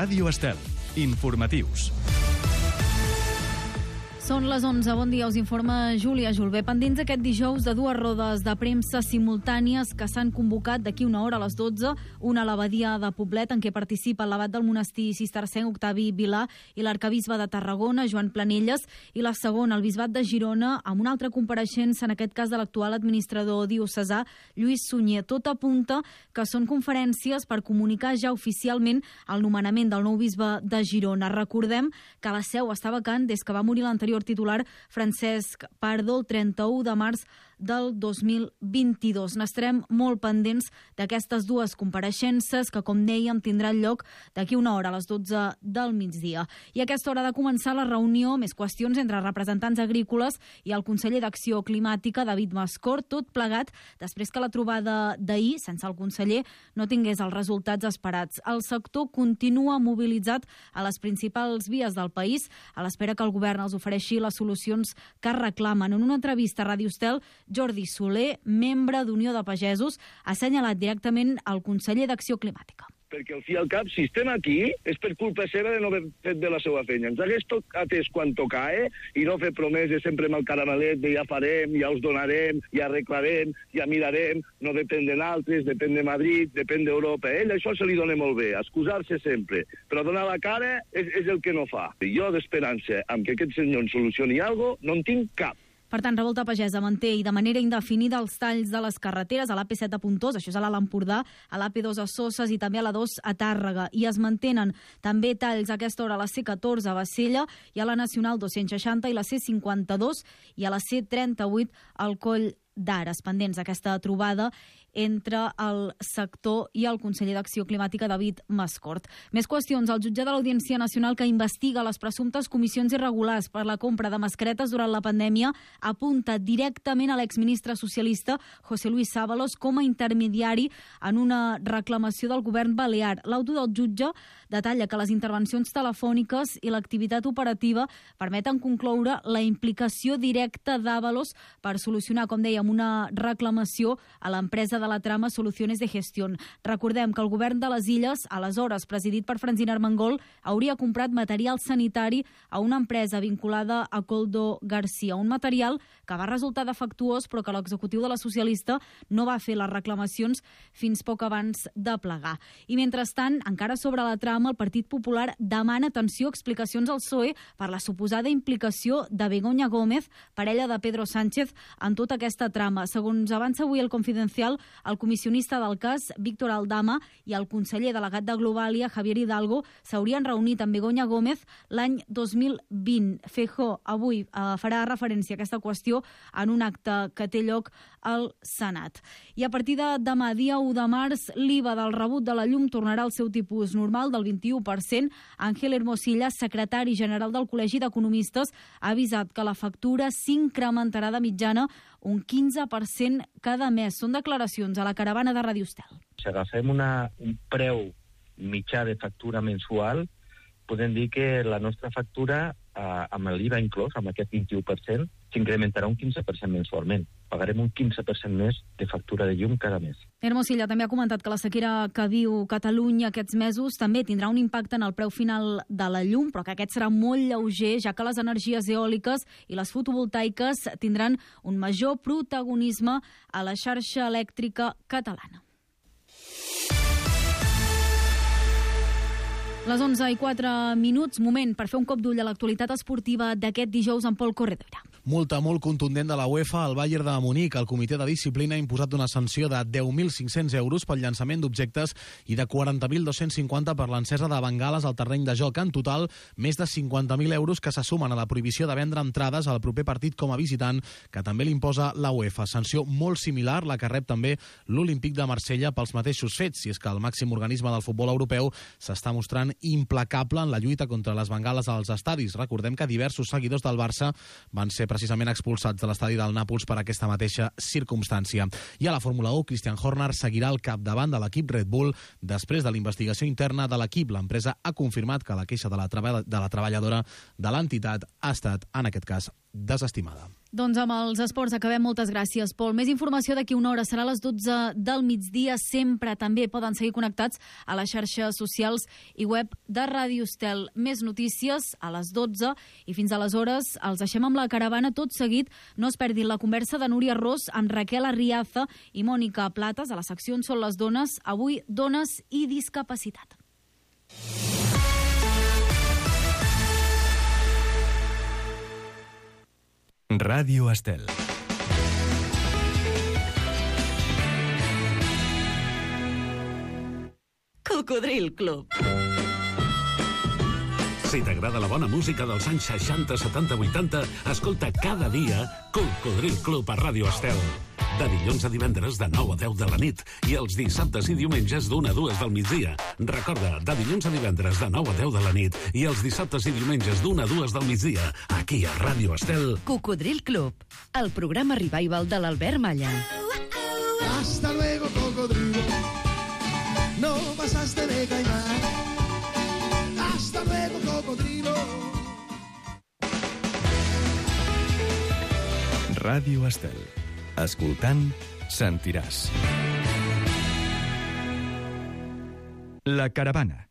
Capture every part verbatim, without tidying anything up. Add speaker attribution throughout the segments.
Speaker 1: Ràdio Estel. Informatius.
Speaker 2: Són les onze. Bon dia, us informa Júlia Julbé. Pendents aquest dijous de dues rodes de premsa simultànies que s'han convocat d'aquí una hora a les dotze, una a l'abadia de Poblet, en què participa l'abat del monestir cistercenc Octavi Vilà i l'arcabisbe de Tarragona, Joan Planelles, i la segona, el bisbat de Girona, amb una altra compareixença, en aquest cas de l'actual administrador diocesà, Lluís Sunyer. Tot apunta que són conferències per comunicar ja oficialment el nomenament del nou bisbe de Girona. Recordem que la seu està vacant des que va morir l'anterior titular Francesc Pardo el trenta-u de març del dos mil vint-i-dos. N'estarem molt pendents d'aquestes dues compareixences que, com dèiem, tindran lloc d'aquí una hora a les dotze del migdia. I a aquesta hora ha de començar la reunió, més qüestions entre representants agrícoles i el conseller d'Acció Climàtica, David Mascort, tot plegat després que la trobada d'ahir, sense el conseller, no tingués els resultats esperats. El sector continua mobilitzat a les principals vies del país a l'espera que el govern els ofereixi les solucions que reclamen. En una entrevista a Ràdio Estel, Jordi Soler, membre d'Unió de Pagesos, ha assenyalat directament el conseller d'Acció Climàtica.
Speaker 3: Perquè al fi i al cap, si estem aquí, és per culpa seva de no haver fet bé la seva feina. Ens hagués atès quan tocava i no fer promeses sempre amb el caramelet de ja farem, ja us donarem, ja arreglarem, ja mirarem, no depèn de naltres, depèn de Madrid, depèn d'Europa. Ell això se li dona molt bé, excusar-se sempre, però donar la cara és, és el que no fa. Jo d'esperança amb que aquest senyor en solucioni alguna cosa no en tinc cap.
Speaker 2: Per tant, Revolta Pagesa manté i de manera indefinida els talls de les carreteres a l'A P set a Pontós, això és a l'Alt Empordà, a l'A P dos a Soses i també a la dos a Tàrrega. I es mantenen també talls a aquesta hora a la C catorze a Bassella i a la Nacional dos-cents seixanta i la C cinquanta-dos i a la C trenta-vuit al Coll d'Ares, pendents d'aquesta trobada entre el sector i el conseller d'Acció Climàtica, David Mascort. Més qüestions. El jutge de l'Audiència Nacional que investiga les presumptes comissions irregulars per la compra de mascaretes durant la pandèmia apunta directament a l'exministre socialista José Luis Ábalos com a intermediari en una reclamació del govern balear. L'auto del jutge detalla que les intervencions telefòniques i l'activitat operativa permeten concloure la implicació directa d'Ábalos per solucionar, com deia, una reclamació a l'empresa de la trama Soluciones de Gestión. Recordem que el govern de les Illes, aleshores presidit per Francina Armengol, hauria comprat material sanitari a una empresa vinculada a Coldo García, un material que va resultar defectuós però que l'executiu de la socialista no va fer les reclamacions fins poc abans de plegar. I mentrestant, encara sobre la trama, el Partit Popular demana, atenció, explicacions al P S O E per la suposada implicació de Begoña Gómez, parella de Pedro Sánchez, en tota aquesta trama. Segons avança avui el Confidencial, el comissionista del cas, Víctor Aldama, i el conseller delegat de Globalia, Javier Hidalgo, s'haurien reunit amb Begoña Gómez l'any dos mil vint. Feijóo avui eh, farà referència a aquesta qüestió en un acte que té lloc al Senat. I a partir de demà, dia u de març, l'I V A del rebut de la llum tornarà al seu tipus normal del vint-i-u per cent. Ángel Hermosilla, secretari general del Col·legi d'Economistes, ha avisat que la factura s'incrementarà de mitjana un quinze per cent cada mes. Són declaracions a la caravana de Ràdio Estel.
Speaker 4: Si agafem una, un preu mitjà de factura mensual, podem dir que la nostra factura, eh, amb l'I V A inclòs, amb aquest vint-i-u per cent, s'incrementarà un quinze per cent mensualment. Pagarem un quinze per cent més de factura de llum cada mes.
Speaker 2: Hermosilla també ha comentat que la sequera que viu Catalunya aquests mesos també tindrà un impacte en el preu final de la llum, però que aquest serà molt lleuger, ja que les energies eòliques i les fotovoltaiques tindran un major protagonisme a la xarxa elèctrica catalana. Les onze i quatre minuts, moment per fer un cop d'ull a l'actualitat esportiva d'aquest dijous amb Pol Corredera.
Speaker 5: Multa molt contundent de la UEFA al Bayern de Munic. El comitè de disciplina ha imposat una sanció de deu mil cinc-cents euros pel llançament d'objectes i de quaranta mil dos-cents cinquanta per l'encesa de bengales al terreny de joc. En total, més de cinquanta mil euros que se sumen a la prohibició de vendre entrades al proper partit com a visitant, que també l'imposa la UEFA. Sanció molt similar, la que rep també l'Olímpic de Marsella pels mateixos fets, si és que el màxim organisme del futbol europeu s'està mostrant implacable en la lluita contra les bengales als estadis. Recordem que diversos seguidors del Barça van ser precisament expulsats de l'estadi del Nàpols per aquesta mateixa circumstància. I a la Fórmula u, Christian Horner seguirà al capdavant de l'equip Red Bull després de la investigació interna de l'equip. L'empresa ha confirmat que la queixa de la, treball- de la treballadora de l'entitat ha estat, en aquest cas, desestimada.
Speaker 2: Doncs amb els esports acabem. Moltes gràcies, Pol. Més informació d'aquí una hora. Serà a les dotze del migdia. Sempre també poden seguir connectats a les xarxes socials i web de Ràdio Estel. Més notícies a les dotze i fins aleshores els deixem amb la caravana tot seguit. No es perdin la conversa de Núria Ros amb Raquel Arriaza i Mònica Platas a la secció On són les dones. Avui, dones i discapacitat.
Speaker 1: Ràdio Estel.
Speaker 6: Cocodril Club.
Speaker 7: Si t'agrada la bona música dels anys seixanta, setanta, vuitanta, escolta cada dia Cocodril Club a Ràdio Estel. De dilluns a divendres de nou a deu de la nit i els dissabtes i diumenges d'una a dues del migdia. Recorda, de dilluns a divendres de nou a deu de la nit i els dissabtes i diumenges d'una a dues del migdia, aquí a Ràdio Estel.
Speaker 6: Cocodril Club, el programa revival de l'Albert Malla.
Speaker 8: Hasta luego, cocodrilo. No pasaste de caimán. Hasta luego, cocodrilo.
Speaker 1: Ràdio Estel. Escoltant, sentiràs. La caravana.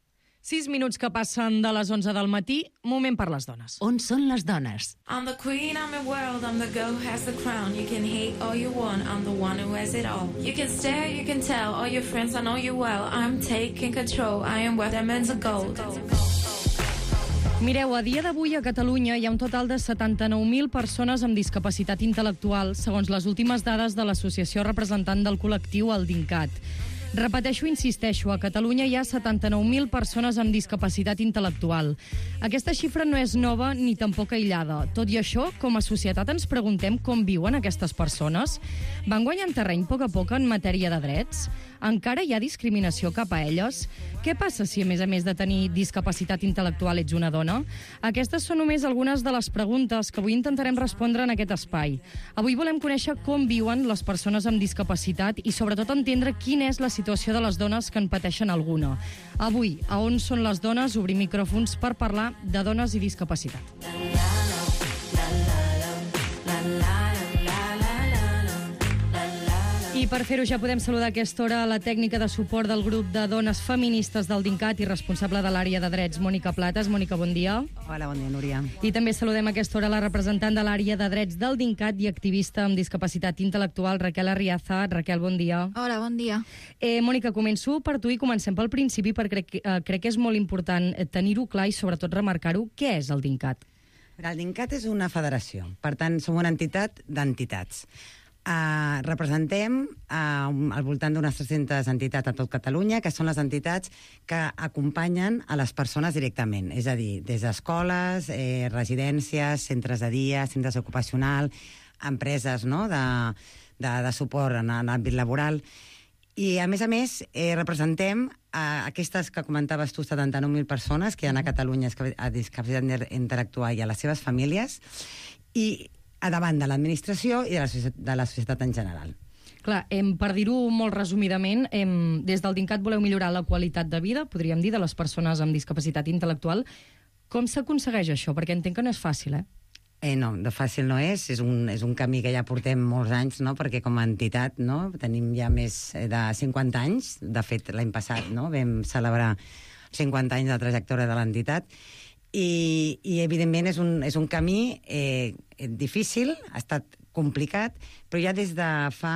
Speaker 9: Sis minuts que passen de les onze del matí, moment per les dones.
Speaker 6: On són les dones?
Speaker 10: I'm the queen, I'm the world, I'm the girl who has the crown. You can hate all you want, I'm the one who has it all. You can stare, you can tell, all your friends, I know you well. I'm taking control, I am worth diamonds of gold.
Speaker 9: Mireu, a dia d'avui a Catalunya hi ha un total de setanta-nou mil persones amb discapacitat intel·lectual, segons les últimes dades de l'associació representant del col·lectiu, el DINCAT. Repeteixo, insisteixo, a Catalunya hi ha setanta-nou mil persones amb discapacitat intel·lectual. Aquesta xifra no és nova ni tampoc aïllada. Tot i això, com a societat ens preguntem com viuen aquestes persones. Van guanyant terreny a poc a poc en matèria de drets? Encara hi ha discriminació cap a elles? Què passa si, a més a més de tenir discapacitat intel·lectual, ets una dona? Aquestes són només algunes de les preguntes que avui intentarem respondre en aquest espai. Avui volem conèixer com viuen les persones amb discapacitat i, sobretot, entendre quina és la situació de les dones que en pateixen alguna. Avui, a On són les dones, obrim micròfons per parlar de dones i discapacitat. I per fer-ho ja podem saludar a aquesta hora la tècnica de suport del grup de dones feministes del DINCAT i responsable de l'àrea de drets, Mònica Platas. Mònica, bon dia.
Speaker 11: Hola, bon dia, Núria.
Speaker 9: I també saludem a aquesta hora la representant de l'àrea de drets del DINCAT i activista amb discapacitat intel·lectual, Raquel Arriaza. Raquel, bon dia.
Speaker 2: Hola, bon dia.
Speaker 9: Eh, Mònica, començo per tu i comencem pel principi perquè crec, eh, crec que és molt important tenir-ho clar i sobretot remarcar-ho. Què és el DINCAT?
Speaker 11: El DINCAT és una federació, per tant, som una entitat d'entitats. Uh, representem uh, al voltant d'unes tres-centes entitats a tot Catalunya, que són les entitats que acompanyen a les persones directament, és a dir, des d'escoles, eh, residències, centres de dia, centres ocupacionals, empreses, no?, de, de, de suport en, en l'àmbit laboral. I, a més a més, eh, representem uh, aquestes que comentaves tu, setanta-nou mil persones que hi ha a Catalunya a discapacitat intel·lectual i a les seves famílies, i a davant de l'administració i de la, societat, de la societat en general.
Speaker 9: Clar, em, per dir-ho molt resumidament, em, des del DINCAT voleu millorar la qualitat de vida, podríem dir, de les persones amb discapacitat intel·lectual. Com s'aconsegueix això? Perquè entenc que no és fàcil, eh?
Speaker 11: Eh, no, de fàcil no és. És un, és un camí que ja portem molts anys, no?, perquè com a entitat, no?, tenim ja més de cinquanta anys. De fet, l'any passat, no?, vam celebrar cinquanta anys de trajectòria de l'entitat. I, i evidentment, és un, és un camí eh, difícil, ha estat complicat, però ja des, de fa,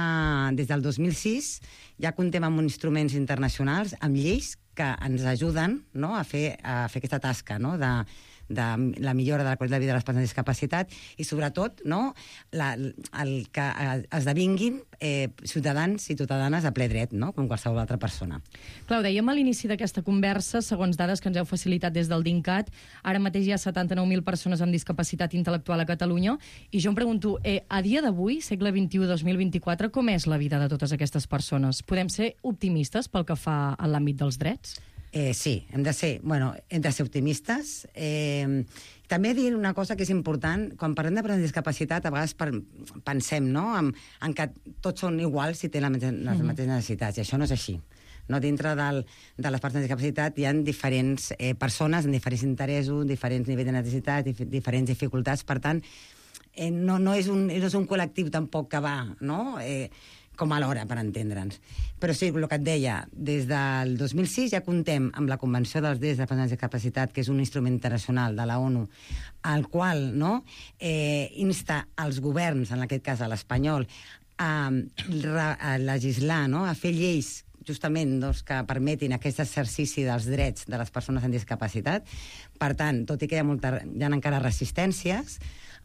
Speaker 11: des del dos mil sis ja comptem amb instruments internacionals, amb lleis que ens ajuden, no?, a, fer, a fer aquesta tasca, no?, de, de la millora de la qualitat de vida de les persones amb discapacitat i, sobretot, no?, la, el que esdevinguin eh, ciutadans i ciutadanes a ple dret, no?, com qualsevol altra persona.
Speaker 9: Clar, ho dèiem a l'inici d'aquesta conversa, segons dades que ens heu facilitat des del DINCAT, ara mateix hi ha setanta-nou mil persones amb discapacitat intel·lectual a Catalunya, i jo em pregunto, eh, a dia d'avui, segle vint-i-u dos mil vint-i-quatre, com és la vida de totes aquestes persones? Podem ser optimistes pel que fa a l'àmbit dels drets?
Speaker 11: Eh, sí, hem de ser, bueno, hem de ser optimistes. Eh, també dir una cosa que és important, quan parlem de persones amb discapacitat, a vegades per, pensem, no?, en, en que tots són iguals si tenen les mateixes mm-hmm. necessitats, i això no és així. No? Dintre del, de les persones amb discapacitat hi ha diferents eh, persones amb diferents interessos, diferents nivells de necessitat, dif diferents dificultats, per tant, eh, no, no, és un, no és un col·lectiu tampoc que va, no?, eh, com a l'hora, per entendre'ns. Però sí, el que et deia, des del dos mil sis ja comptem amb la Convenció dels Drets de les Persones amb Discapacitat, que és un instrument internacional de la ONU, al qual, no?, eh, insta als governs, en aquest cas a l'espanyol, a, a legislar, no?, a fer lleis justament doncs, que permetin aquest exercici dels drets de les persones amb discapacitat. Per tant, tot i que hi ha, molta, hi ha encara resistències,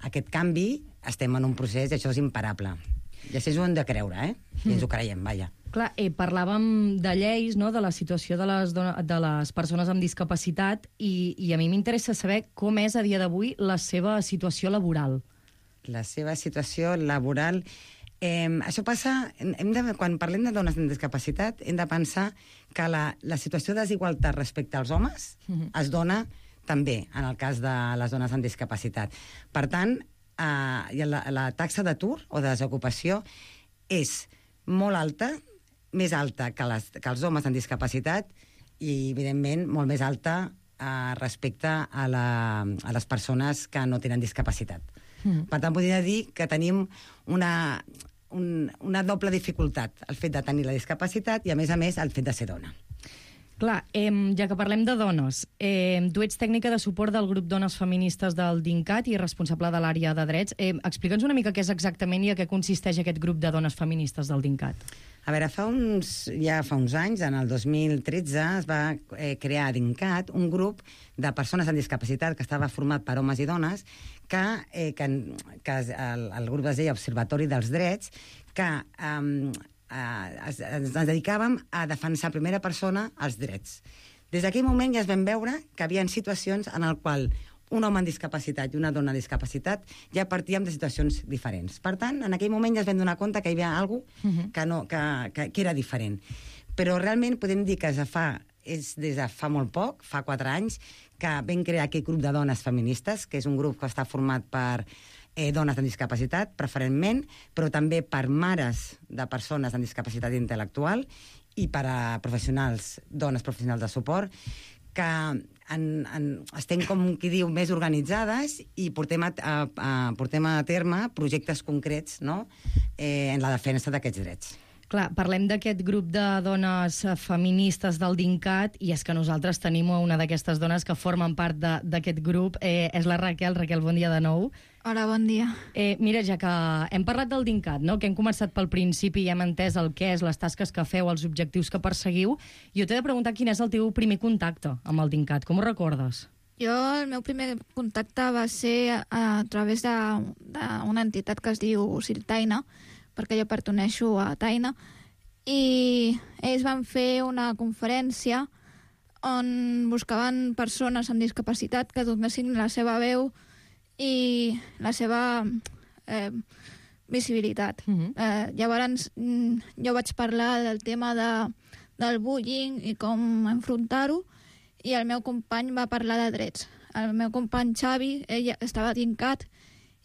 Speaker 11: aquest canvi estem en un procés i això és imparable. I això ho hem de creure, eh? I ens ho creiem, vaja.
Speaker 9: Clar, eh, parlàvem de lleis, no?, de la situació de les, de les persones amb discapacitat i, i a mi m'interessa saber com és a dia d'avui la seva situació laboral.
Speaker 11: La seva situació laboral... Eh, això passa... Hem de, quan parlem de dones amb discapacitat, hem de pensar que la, la situació de desigualtat respecte als homes uh-huh. es dona també en el cas de les dones amb discapacitat. Per tant, eh, la, la taxa d'atur o de desocupació és molt alta, més alta que, les, que els homes amb discapacitat i, evidentment, molt més alta eh, respecte a, la, a les persones que no tenen discapacitat. Mm. Per tant, podria dir que tenim una, un, una doble dificultat, el fet de tenir la discapacitat i, a més a més, el fet de ser dona.
Speaker 9: Clar, eh, ja que parlem de dones, eh, tu ets tècnica de suport del grup Dones Feministes del DINCAT i responsable de l'àrea de drets. Eh, Explica'ns una mica què és exactament i a què consisteix aquest grup de dones feministes del DINCAT.
Speaker 11: A veure, fa uns, ja fa uns anys, en el dos mil tretze, es va eh, crear a DINCAT un grup de persones amb discapacitat que estava format per homes i dones, que, eh, que, que el, el grup es deia Observatori dels Drets, que eh, ens, ens dedicàvem a defensar en primera persona els drets. Des d'aquell moment ja es vam veure que hi havia situacions en el qual un home amb discapacitat i una dona amb discapacitat ja partíem de situacions diferents. Per tant, en aquell moment ja es vam donar compte que hi havia alguna cosa que, no, que, que, que era diferent. Però realment podem dir que ja fa, és des de fa molt poc, fa quatre anys, que vam crear aquest grup de dones feministes, que és un grup que està format per eh, dones amb discapacitat, preferentment, però també per mares de persones amb discapacitat intel·lectual i per a professionals, dones professionals de suport, que en, en, estem, com qui diu, més organitzades i portem a, a, a, portem a terme projectes concrets, no?, eh, en la defensa d'aquests drets.
Speaker 9: Clar, parlem d'aquest grup de dones feministes del DINCAT i és que nosaltres tenim una d'aquestes dones que formen part d'aquest grup. Eh, és la Raquel. Raquel, bon dia de nou.
Speaker 12: Hola, bon dia.
Speaker 9: Eh, mira, ja que hem parlat del DINCAT, no?, que hem començat pel principi i hem entès el què és, les tasques que feu, els objectius que perseguiu, jo t'he de preguntar quin és el teu primer contacte amb el DINCAT. Com ho recordes?
Speaker 12: Jo, el meu primer contacte va ser a, a través d'una entitat que es diu Siltaina, perquè jo perteneixo a Taina, i ells van fer una conferència on buscaven persones amb discapacitat que donessin la seva veu i la seva eh, visibilitat. Uh-huh. eh, llavors, jo vaig parlar del tema de, del bullying i com enfrontar-ho, i el meu company va parlar de drets. El meu company Xavi, ell estava dincat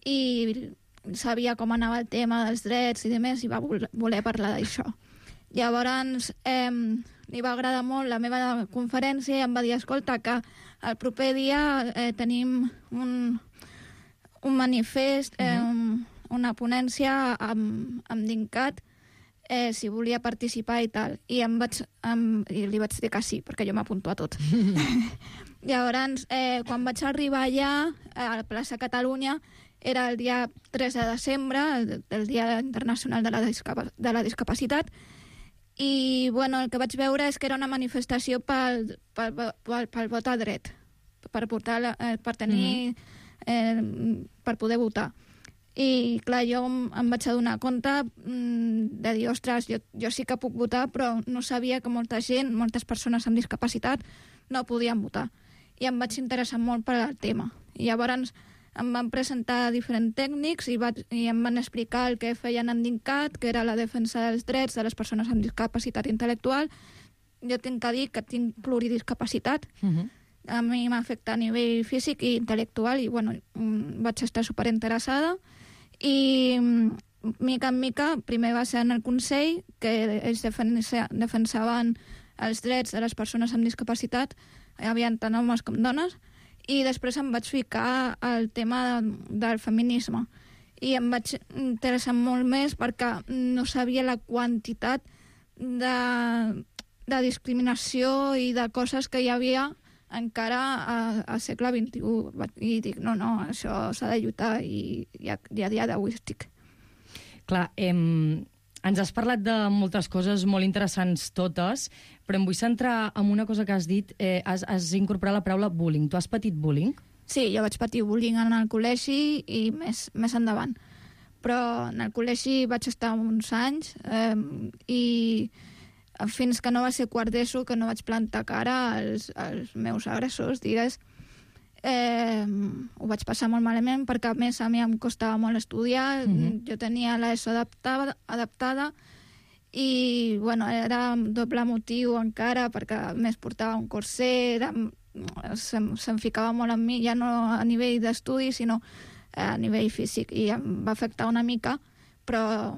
Speaker 12: i sabia com anava el tema dels drets i demés, i va voler parlar d'això. Llavors eh, li va agradar molt la meva conferència i em va dir, escolta, que el proper dia eh, tenim un, un manifest, eh, un, una ponència amb, amb DINCAT, eh, si volia participar i tal. I, em vaig, em, i li vaig dir que sí, perquè jo m'apunto a tot. Llavors, eh, quan vaig arribar allà, a la plaça Catalunya, era el dia tres de desembre, el, el Dia Internacional de la, Discapa de la Discapacitat, i bueno, el que vaig veure és que era una manifestació pel, pel, pel, pel vot a dret, per, portar la, eh, per tenir, mm-hmm. eh, per poder votar. I clar, jo em vaig adonar compte mm, de dir, ostres, jo, jo sí que puc votar, però no sabia que molta gent, moltes persones amb discapacitat no podien votar. I em vaig interessar molt per al tema. I llavors em van presentar diferents tècnics i, va, i em van explicar el que feien en DINCAT, que era la defensa dels drets de les persones amb discapacitat intel·lectual. Jo tinc que dir que tinc pluridiscapacitat. Uh-huh. A mi m'afecta a nivell físic i intel·lectual i bueno, vaig estar superinteressada. I mica en mica, primer va ser en el Consell, que ells defensaven els drets de les persones amb discapacitat, hi havia tant homes com dones, i després em vaig ficar al tema del feminisme. i em vaig interessar molt més perquè no sabia la quantitat de, de discriminació i de coses que hi havia encara al segle vint-i-u. I dic, no, no, això s'ha de lluitar i, i, a, i a dia d'avui estic.
Speaker 9: Clar, em... ens has parlat de moltes coses molt interessants totes, però em vull centrar en una cosa que has dit. Eh, has, has incorporat la paraula bullying. Tu has patit bullying?
Speaker 12: Sí, jo vaig patir bullying en el col·legi i més, més endavant. Però en el col·legi vaig estar uns anys eh, i fins que no va ser quart d'ESO, que no vaig plantar cara als, als meus agressors, digues, eh, ho vaig passar molt malament perquè a més a mi em costava molt estudiar. Mm-hmm. Jo tenia l'ESO adaptada, adaptada i bueno, era doble motiu encara perquè a més portava un corset, era... Se'm, se'm ficava molt en mi, ja no a nivell d'estudi, sinó a nivell físic, i em va afectar una mica, però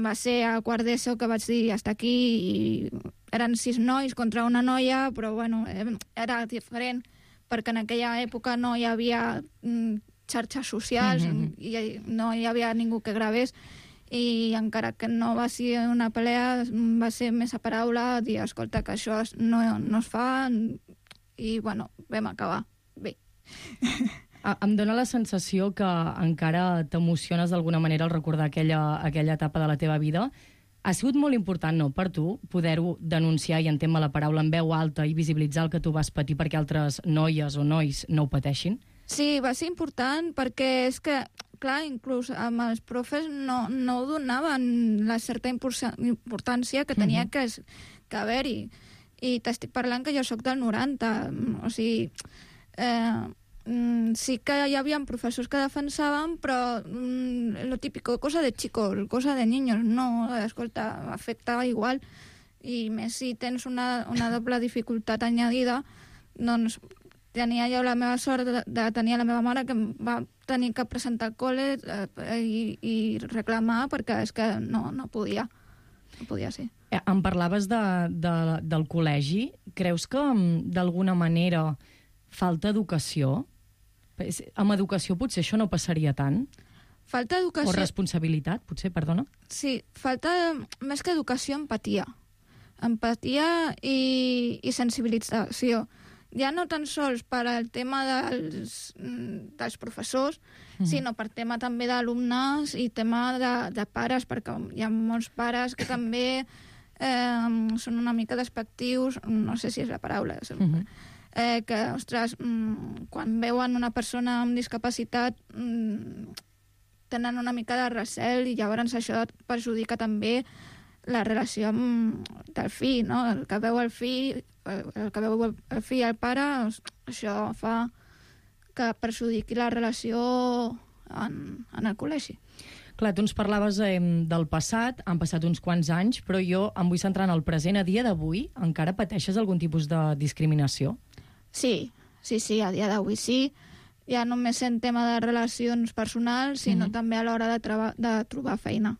Speaker 12: va ser a quart d'ESO que vaig dir hasta aquí, i eren sis nois contra una noia, però bueno, era diferent, perquè en aquella època no hi havia xarxes socials, mm-hmm. i no hi havia ningú que gravés, i encara que no va ser una pelea, va ser més a paraula, dir, escolta, que això no, no es fa... i, bueno, vam acabar bé.
Speaker 9: Em dóna la sensació que encara t'emociones d'alguna manera al recordar aquella, aquella etapa de la teva vida. Ha sigut molt important, no?, per tu, poder-ho denunciar, i entenc la paraula, en veu alta i visibilitzar el que tu vas patir perquè altres noies o nois no ho pateixin?
Speaker 12: Sí, va ser important perquè és que, clar, inclús amb els profes no, no donaven la certa importància que tenia mm-hmm. que, que haver-hi. I t'estic parlant que jo sóc del noranta, o sigui, eh, sí que hi havia professors que defensaven, però mm, lo típico, cosa de chicos, cosa de niños, no, escolta, afecta igual, i més si tens una, una doble dificultat añadida, doncs tenia jo la meva sort de, de tenir la meva mare que em va tenir que presentar al col·le eh, i, i reclamar perquè és que no, no podia, no podia ser.
Speaker 9: Em parlaves de, de, del col·legi. Creus que d'alguna manera falta educació? Amb educació potser això no passaria tant?
Speaker 12: Falta educació...
Speaker 9: O responsabilitat, potser, perdona?
Speaker 12: Sí, falta més que educació, empatia. Empatia i, i sensibilització. Ja no tan sols per al tema dels, dels professors, mm. sinó per tema també d'alumnes i tema de, de pares, perquè hi ha molts pares que també eh, són una mica despectius, no sé si és la paraula, mm-hmm. eh, que, ostres, mm, quan veuen una persona amb discapacitat mm, tenen una mica de recel i llavors això perjudica també la relació amb del fill, no? El que veu el fill, el que veu el fill i el pare, això fa que perjudiqui la relació en, en el col·legi.
Speaker 9: Clar, tu ens parlaves eh, del passat, han passat uns quants anys, però jo em vull centrar en el present. A dia d'avui encara pateixes algun tipus de discriminació?
Speaker 12: Sí, sí, sí, a dia d'avui sí. Ja no només en tema de relacions personals, sinó mm-hmm. també a l'hora de, de trobar feina.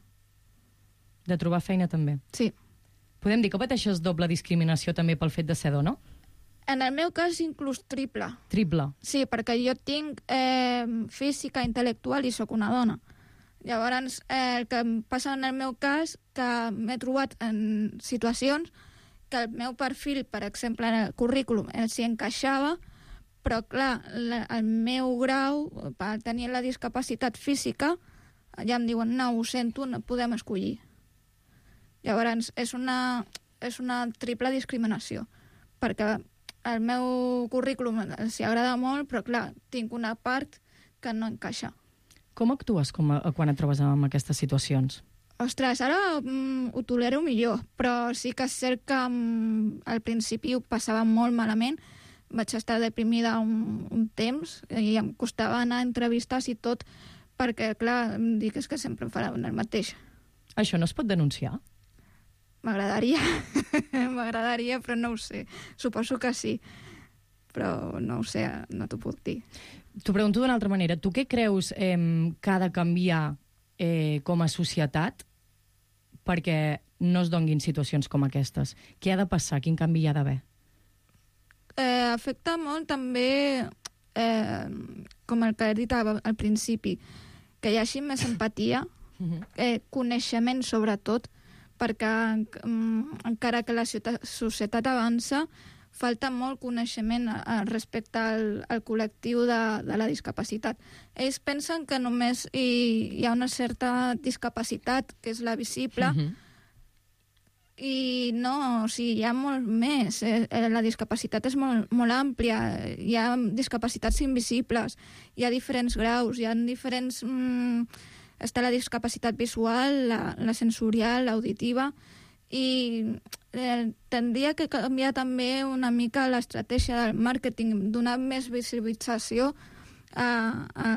Speaker 9: De trobar feina també?
Speaker 12: Sí.
Speaker 9: Podem dir que pateixes doble discriminació també pel fet de ser dona?
Speaker 12: En el meu cas, inclús triple.
Speaker 9: Triple?
Speaker 12: Sí, perquè jo tinc eh, física, intel·lectual i sóc una dona. Llavors, eh, el que em passa en el meu cas, que m'he trobat en situacions que el meu perfil, per exemple, en el currículum, s'hi encaixava, però, clar, la, el meu grau, per tenir la discapacitat física, ja em diuen, no, ho sento, no podem escollir. Llavors, és una, és una triple discriminació, perquè el meu currículum s'hi agrada molt, però, clar, tinc una part que no encaixa.
Speaker 9: Com actues com a, quan et trobes en aquestes situacions?
Speaker 12: Ostres, ara mm, ho tolero millor, però sí que és cert que mm, al principi ho passava molt malament. Vaig estar deprimida un, un temps i em costava anar a entrevistes i tot, perquè, clar, em dic és que sempre em faran el mateix.
Speaker 9: Això no es pot denunciar?
Speaker 12: M'agradaria, m'agradaria, però no ho sé. Suposo que sí, però no ho sé, no t'ho puc dir.
Speaker 9: T'ho pregunto d'una altra manera. Tu què creus eh, que ha de canviar eh, com a societat perquè no es donguin situacions com aquestes? Què ha de passar? Quin canvi hi ha d'haver?
Speaker 12: Eh, afecta molt també, eh, com el que he dit al principi, que hi hagi més empatia, eh, coneixement sobretot, perquè mm, encara que la societat avança, falta molt coneixement eh, respecte al, al col·lectiu de, de la discapacitat. Ells pensen que només hi, hi ha una certa discapacitat, que és la visible, uh-huh. i no, o sigui, hi ha molt més. Eh, la discapacitat és molt, molt àmplia, hi ha discapacitats invisibles, hi ha diferents graus, hi ha diferents... Mm, està la discapacitat visual, la, la sensorial, l'auditiva, i eh, tindria que canviar també una mica l'estratègia del màrqueting, donar més visibilització a, a, a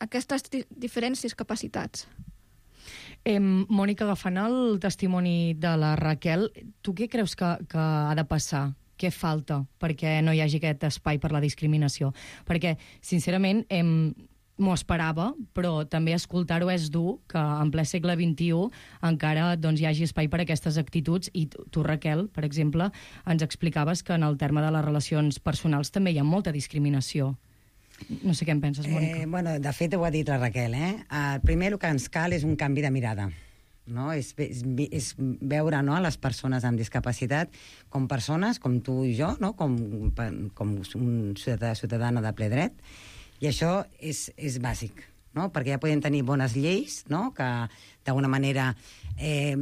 Speaker 12: aquestes di- diferents discapacitats.
Speaker 9: Eh, Mònica, agafant el testimoni de la Raquel, tu què creus que, que ha de passar? Què falta perquè no hi hagi aquest espai per la discriminació? Perquè, sincerament, eh, m'ho esperava, però també escoltar-ho és dur, que en ple segle vint-i-u encara doncs, hi hagi espai per a aquestes actituds, i tu, Raquel, per exemple, ens explicaves que en el terme de les relacions personals també hi ha molta discriminació. No sé què en penses, Mònica.
Speaker 11: Eh, bueno, de fet, ho ha dit la Raquel, eh? El primer el que ens cal és un canvi de mirada, no? És, és, és veure, no, les persones amb discapacitat com persones, com tu i jo, no? com, com un ciutadà, ciutadana de ple dret, i això és, és bàsic, no? Perquè ja podem tenir bones lleis, no? Que d'alguna manera eh,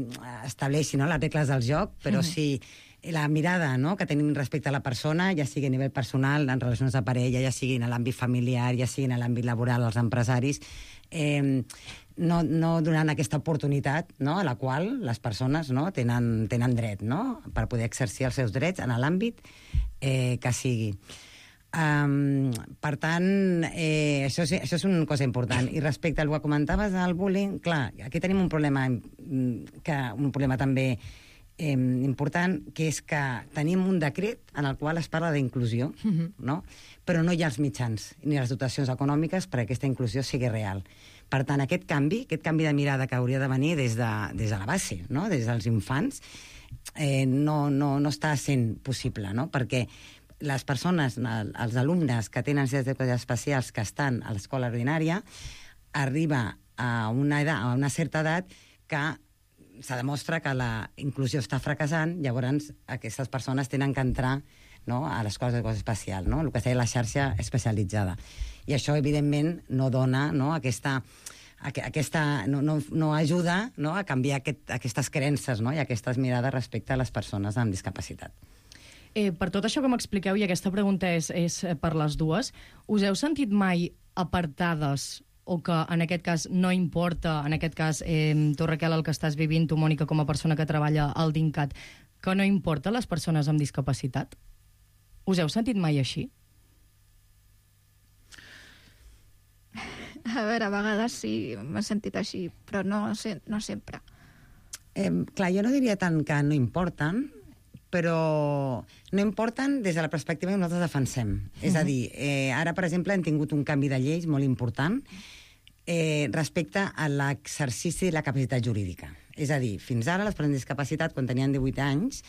Speaker 11: estableixin, no, les regles del joc, però mm. si la mirada, no, que tenim respecte a la persona, ja sigui a nivell personal, en relacions de parella, ja sigui en l'àmbit familiar, ja sigui en l'àmbit laboral, els empresaris, eh, no, no donant aquesta oportunitat, no, a la qual les persones, no, tenen, tenen dret, no, per poder exercir els seus drets en l'àmbit eh, que sigui. Um, per tant, eh, això, és, això és una cosa important. I respecte al que comentaves del bullying, clar, aquí tenim un problema, que, un problema també eh, important, que és que tenim un decret en el qual es parla d'inclusió, uh-huh. no? Però no hi ha els mitjans ni les dotacions econòmiques perquè aquesta inclusió sigui real. Per tant, aquest canvi, aquest canvi de mirada que hauria de venir des de, des de la base, no? Des dels infants, eh, no, no, no està sent possible, no? Perquè les persones, els alumnes que tenen necessitats especials que estan a l'escola ordinària, arriba a una, edat, a una certa edat que se demostra que la inclusió està fracassant, llavors aquestes persones tenen que entrar, no, a l'escola d'educació especial, no? El que seria la xarxa especialitzada. I això, evidentment, no dona, no, aquesta... Aquesta, no, no, no ajuda, no, a canviar aquest, aquestes creences, no, i aquestes mirades respecte a les persones amb discapacitat.
Speaker 9: Eh, per tot això que m'expliqueu, i aquesta pregunta és, és per les dues, us heu sentit mai apartades o que en aquest cas no importa, en aquest cas, eh, tu, Raquel, el que estàs vivint, tu, Mònica, com a persona que treballa al DINCAT, que no importa les persones amb discapacitat? Us heu sentit mai així?
Speaker 12: A veure, a vegades sí, m'he sentit així, però no, no sempre.
Speaker 11: Eh, clar, jo no diria tant que no importen, però no importen des de la perspectiva que nosaltres defensem. Uh-huh. És a dir, eh, ara, per exemple, hem tingut un canvi de lleis molt important eh, respecte a l'exercici de la capacitat jurídica. És a dir, fins ara, les persones amb discapacitat, quan tenien divuit anys,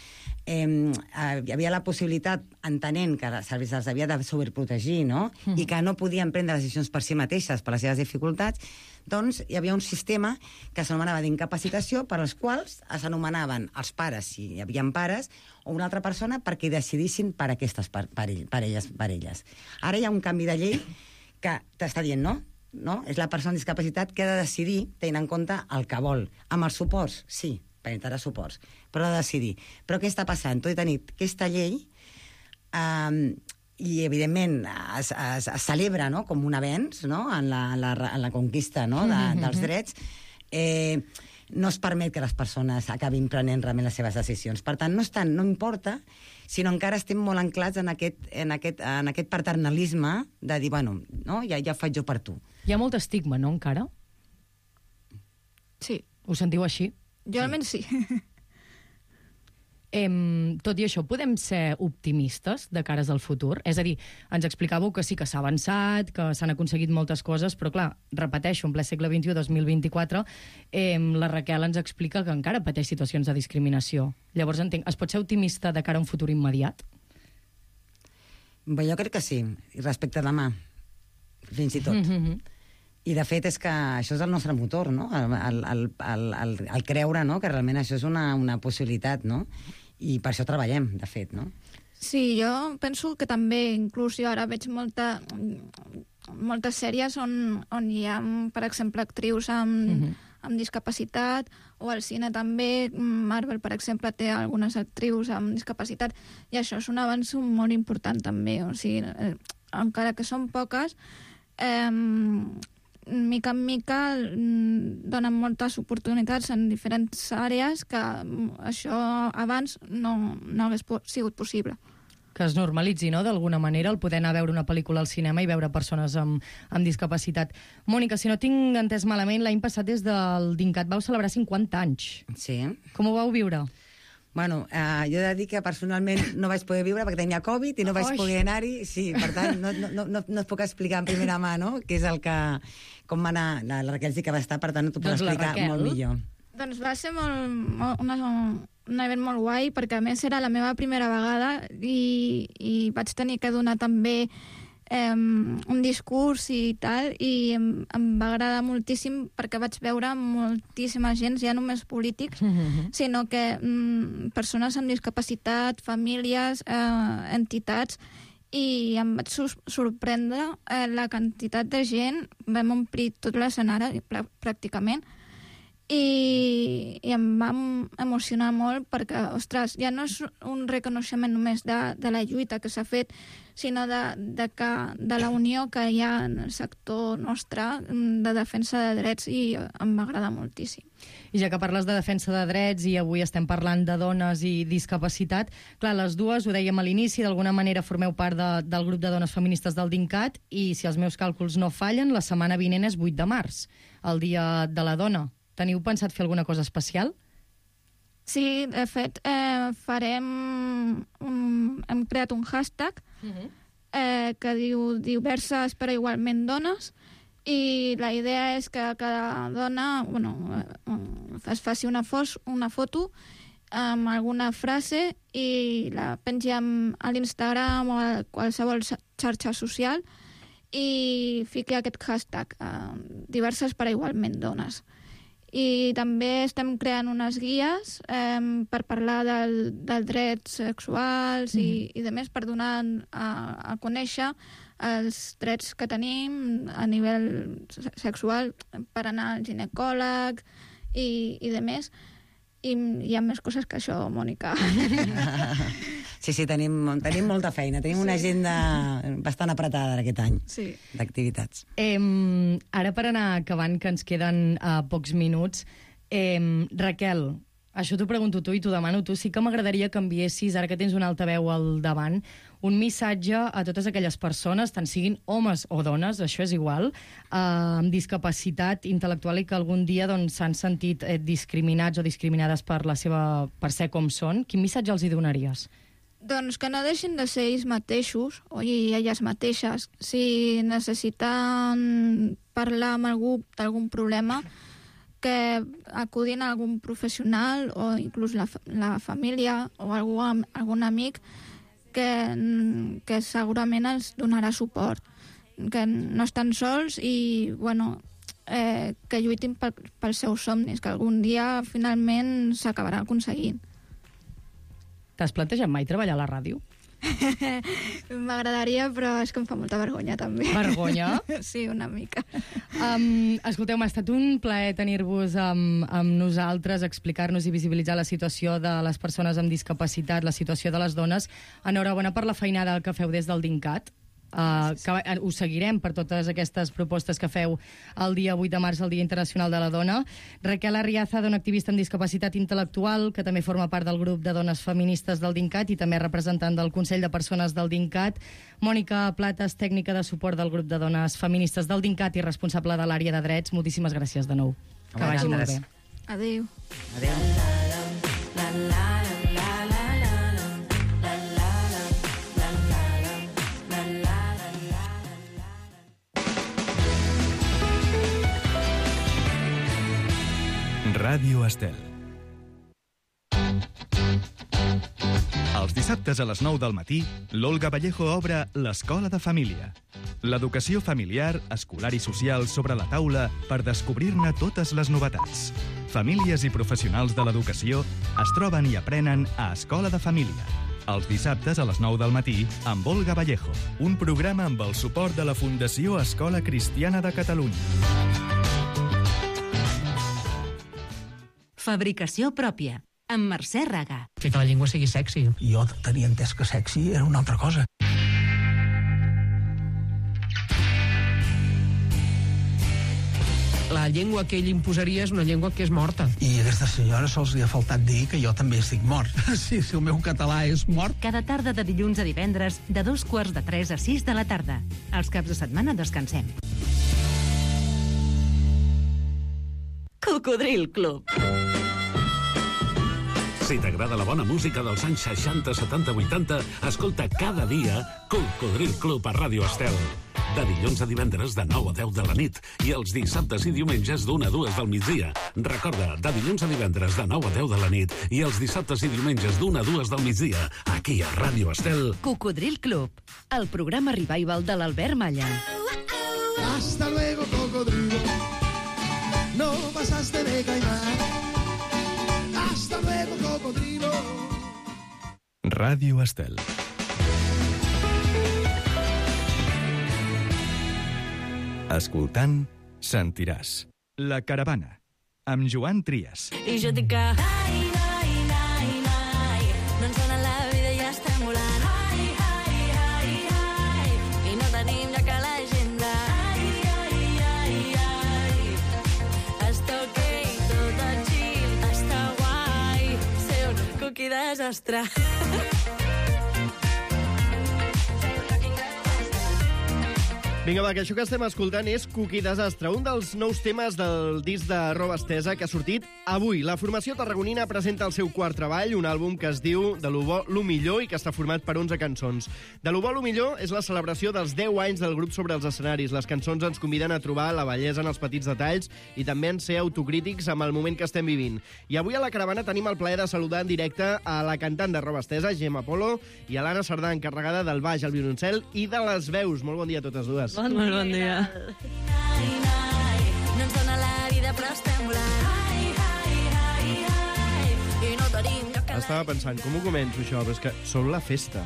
Speaker 11: eh, hi havia la possibilitat, entenent que se'ls havia de sobreprotegir, no? Mm. I que no podien prendre decisions per si mateixes, per les seves dificultats, doncs hi havia un sistema que s'anomenava d'incapacitació, per als quals s'anomenaven els pares, si hi havia pares, o una altra persona perquè decidissin per aquestes parelles. parelles. Ara hi ha un canvi de llei que t'està dient, no? No? És la persona amb discapacitat que ha de decidir, tenint en compte el que vol. Amb els suports, sí, per entrar suports, però ha de decidir. Però què està passant? Tot i tenir aquesta llei, eh, i evidentment es, es, es celebra, no?, com un avenç, no?, en la, en la, en la conquista, no?, de, dels drets, eh, no es permet que les persones acabin prenent realment les seves decisions. Per tant, no, estan, no importa, sinó encara estem molt anclats en aquest, en aquest, en aquest paternalisme de dir, bueno, no, ja, ja ho faig jo per tu.
Speaker 9: Hi ha molt estigma, no, encara?
Speaker 12: Sí.
Speaker 9: Ho sentiu així?
Speaker 12: Jo almenys sí.
Speaker 9: Em, tot i això, podem ser optimistes de cares al futur? És a dir, ens explicàveu que sí que s'ha avançat, que s'han aconseguit moltes coses, però clar, repeteixo, en ple segle vint-i-u, dos mil vint-i-quatre, em, la Raquel ens explica que encara pateix situacions de discriminació. Llavors, entenc, es pot ser optimista de cara a un futur immediat?
Speaker 11: Bé, jo crec que sí, i respecte a demà, fins i tot. Mm-hmm. I, de fet, és que això és el nostre motor, no? El, el, el, el, el, el creure, no?, que realment això és una, una possibilitat, no? I per això treballem, de fet, no?
Speaker 12: Sí, jo penso que també, inclús jo ara veig molta, moltes sèries on, on hi ha, per exemple, actrius amb, uh-huh. amb discapacitat, o al cine també. Marvel, per exemple, té algunes actrius amb discapacitat, i això és un avanç molt important també. O sigui, eh, encara que són poques, eh, mica en mica donen moltes oportunitats en diferents àrees que això abans no, no hagués sigut possible.
Speaker 9: Que es normalitzi, no?, d'alguna manera, el poder anar a veure una pel·lícula al cinema i veure persones amb, amb discapacitat. Mònica, si no tinc entès malament, l'any passat des del DINCAT vau celebrar cinquanta anys.
Speaker 11: Sí.
Speaker 9: Com ho vau viure?
Speaker 11: Bueno, eh, jo he de dir que personalment no vaig poder viure perquè tenia Covid i no vaig
Speaker 9: Oix.
Speaker 11: poder anar-hi. Sí, per tant, no, no, no, no et puc explicar en primera mà, no?, què és el que... com va anar... La, la Raquel sí que va estar, per tant, t'ho puc
Speaker 9: Doncs la
Speaker 11: explicar
Speaker 9: Raquel.
Speaker 11: molt millor.
Speaker 12: Doncs va ser molt, molt, una, un event molt guai, perquè a més era la meva primera vegada i, i vaig tenir que donar també eh, un discurs i tal, i em, em va agradar moltíssim perquè vaig veure moltíssima gent, ja només polítics, mm-hmm. sinó que mm, persones amb discapacitat, famílies, eh, entitats, i em vaig sorprendre eh, la quantitat de gent, vam omplir tot l'escenari pràcticament, i, i em va emocionar molt perquè, ostres, ja no és un reconeixement només de, de la lluita que s'ha fet, sinó de, de, que, de la unió que hi ha en el sector nostre de defensa de drets, i em va agradar moltíssim.
Speaker 9: I ja que parles de defensa de drets i avui estem parlant de dones i discapacitat, clar, les dues, ho dèiem a l'inici, d'alguna manera formeu part de, del grup de dones feministes del DINCAT, i si els meus càlculs no fallen, la setmana vinent és vuit de març, el Dia de la Dona. Teniu pensat fer alguna cosa especial?
Speaker 12: Sí, de fet, eh, farem... Un, hem creat un hashtag uh-huh. eh, que diu diverses però igualment dones, i la idea és que cada dona, bueno, es faci una, fos, una foto amb alguna frase i la pengi a l'Instagram o a qualsevol xarxa social i fiqui aquest hashtag, eh, diverses però igualment dones. I també estem creant unes guies eh, per parlar del, dels drets sexuals mm. i, i de més, per donar a, a conèixer els drets que tenim a nivell sexual, per anar al ginecòleg i, i de més. I hi ha més coses que això, Mònica.
Speaker 11: Sí, sí, tenim, tenim molta feina. Tenim una agenda bastant apretada aquest any
Speaker 12: sí.
Speaker 11: d'activitats.
Speaker 9: Eh, ara, per anar acabant, que ens queden uh, pocs minuts, eh, Raquel, això t'ho pregunto tu i t'ho demano tu, sí que m'agradaria que enviessis, ara que tens un altaveu al davant, un missatge a totes aquelles persones, tant siguin homes o dones, això és igual, eh, amb discapacitat intel·lectual i que algun dia doncs, s'han sentit eh, discriminats o discriminades per, la seva, per ser com són. Quin missatge els hi donaries?
Speaker 12: Doncs que no deixin de ser ells mateixos, o elles mateixes. Si necessiten parlar amb algú d'algun problema, que acudin a algun professional o inclús la, la família o algú, algun amic que, que segurament els donarà suport, que no estan sols i bueno, eh, que lluitin pel, pels seus somnis, que algun dia finalment s'acabarà aconseguint.
Speaker 9: T'has plantejat mai treballar a la ràdio?
Speaker 12: M'agradaria, però és que em fa molta vergonya, també.
Speaker 9: Vergonya?
Speaker 12: Sí, una mica.
Speaker 9: Um, escolteu, m'ha estat un plaer tenir-vos amb, amb nosaltres, explicar-nos i visibilitzar la situació de les persones amb discapacitat, la situació de les dones. Enhorabona per la feinada que feu des del DINCAT. Uh, que us seguirem per totes aquestes propostes que feu el dia vuit de març, el Dia Internacional de la Dona. Raquel Arriaza, dona activista en discapacitat intel·lectual, que també forma part del grup de dones feministes del DINCAT i també representant del Consell de Persones del DINCAT. Mònica Plates, tècnica de suport del grup de dones feministes del DINCAT i responsable de l'àrea de drets. Moltíssimes gràcies de nou. Que vagi molt bé.
Speaker 12: Adéu.
Speaker 11: Adéu.
Speaker 1: Ràdio Estel. Els dissabtes a les nou del matí, l'Olga Vallejo obre l'Escola de Família. L'educació familiar, escolar i social sobre la taula per descobrir-ne totes les novetats. Famílies i professionals de l'educació es troben i aprenen a Escola de Família. Els dissabtes a les nou del matí amb Olga Vallejo. Un programa amb el suport de la Fundació Escola Cristiana de Catalunya.
Speaker 6: Fabricació pròpia, amb Mercè Raga.
Speaker 13: Que la llengua sigui sexy.
Speaker 14: Jo tenia entès que sexy era una altra cosa.
Speaker 13: La llengua que ell imposaria és una llengua que és morta.
Speaker 14: I a aquesta senyora sols li ha faltat dir que jo també estic mort. Sí, si el meu català és mort.
Speaker 6: Cada tarda de dilluns a divendres, de dos quarts de tres a sis de la tarda. Els caps de setmana descansem. Cocodril Club.
Speaker 7: Si t'agrada la bona música dels anys seixanta, setanta, vuitanta, escolta cada dia Cocodril Club a Ràdio Estel. De dilluns a divendres de nou a deu de la nit i els dissabtes i diumenges d'una a dues del migdia. Recorda, de dilluns a divendres de nou a deu de la nit i els dissabtes i diumenges d'una a dues del migdia, aquí a Ràdio Estel.
Speaker 6: Cocodril Club, el programa revival de l'Albert Malla.
Speaker 8: Hasta luego, cocodrilo. No pasaste de caimán. Hasta luego, cocodrilo.
Speaker 1: Ràdio Estel. Escoltant, sentiràs. La Caravana, amb Joan Trias.
Speaker 15: I jo dic que ai, ai, ai, ai, no ens dona la vida i ja estem volant. Ai, ai, ai, ai, i no tenim lloc a l'agenda. Ai, ai, ai, ai, està ok, tot el chill, està guai, ser un cookie desastre.
Speaker 16: Vinga, va, que això que estem escoltant és Cookie Desastre, un dels nous temes del disc de Roba Estesa que ha sortit avui. La formació tarragonina presenta el seu quart treball, un àlbum que es diu De lo bo, lo millor i que està format per onze cançons. De lo bo, lo millor és la celebració dels deu anys del grup sobre els escenaris. Les cançons ens conviden a trobar la bellesa en els petits detalls i també en ser autocrítics amb el moment que estem vivint. I avui a la Caravana tenim el plaer de saludar en directe a la cantant de Roba Estesa, Gemma Polo, i a l'Anna Sardà, encarregada del baix, el violoncel i de les veus. Molt bon dia a totes dues.
Speaker 9: Bon dia. Bon dia.
Speaker 15: No ens dona la vida, però estem volant. Ai, ai, ai, ai, i no tenim lloc a...
Speaker 16: Estava pensant, com ho començo, això? Però és que som la festa.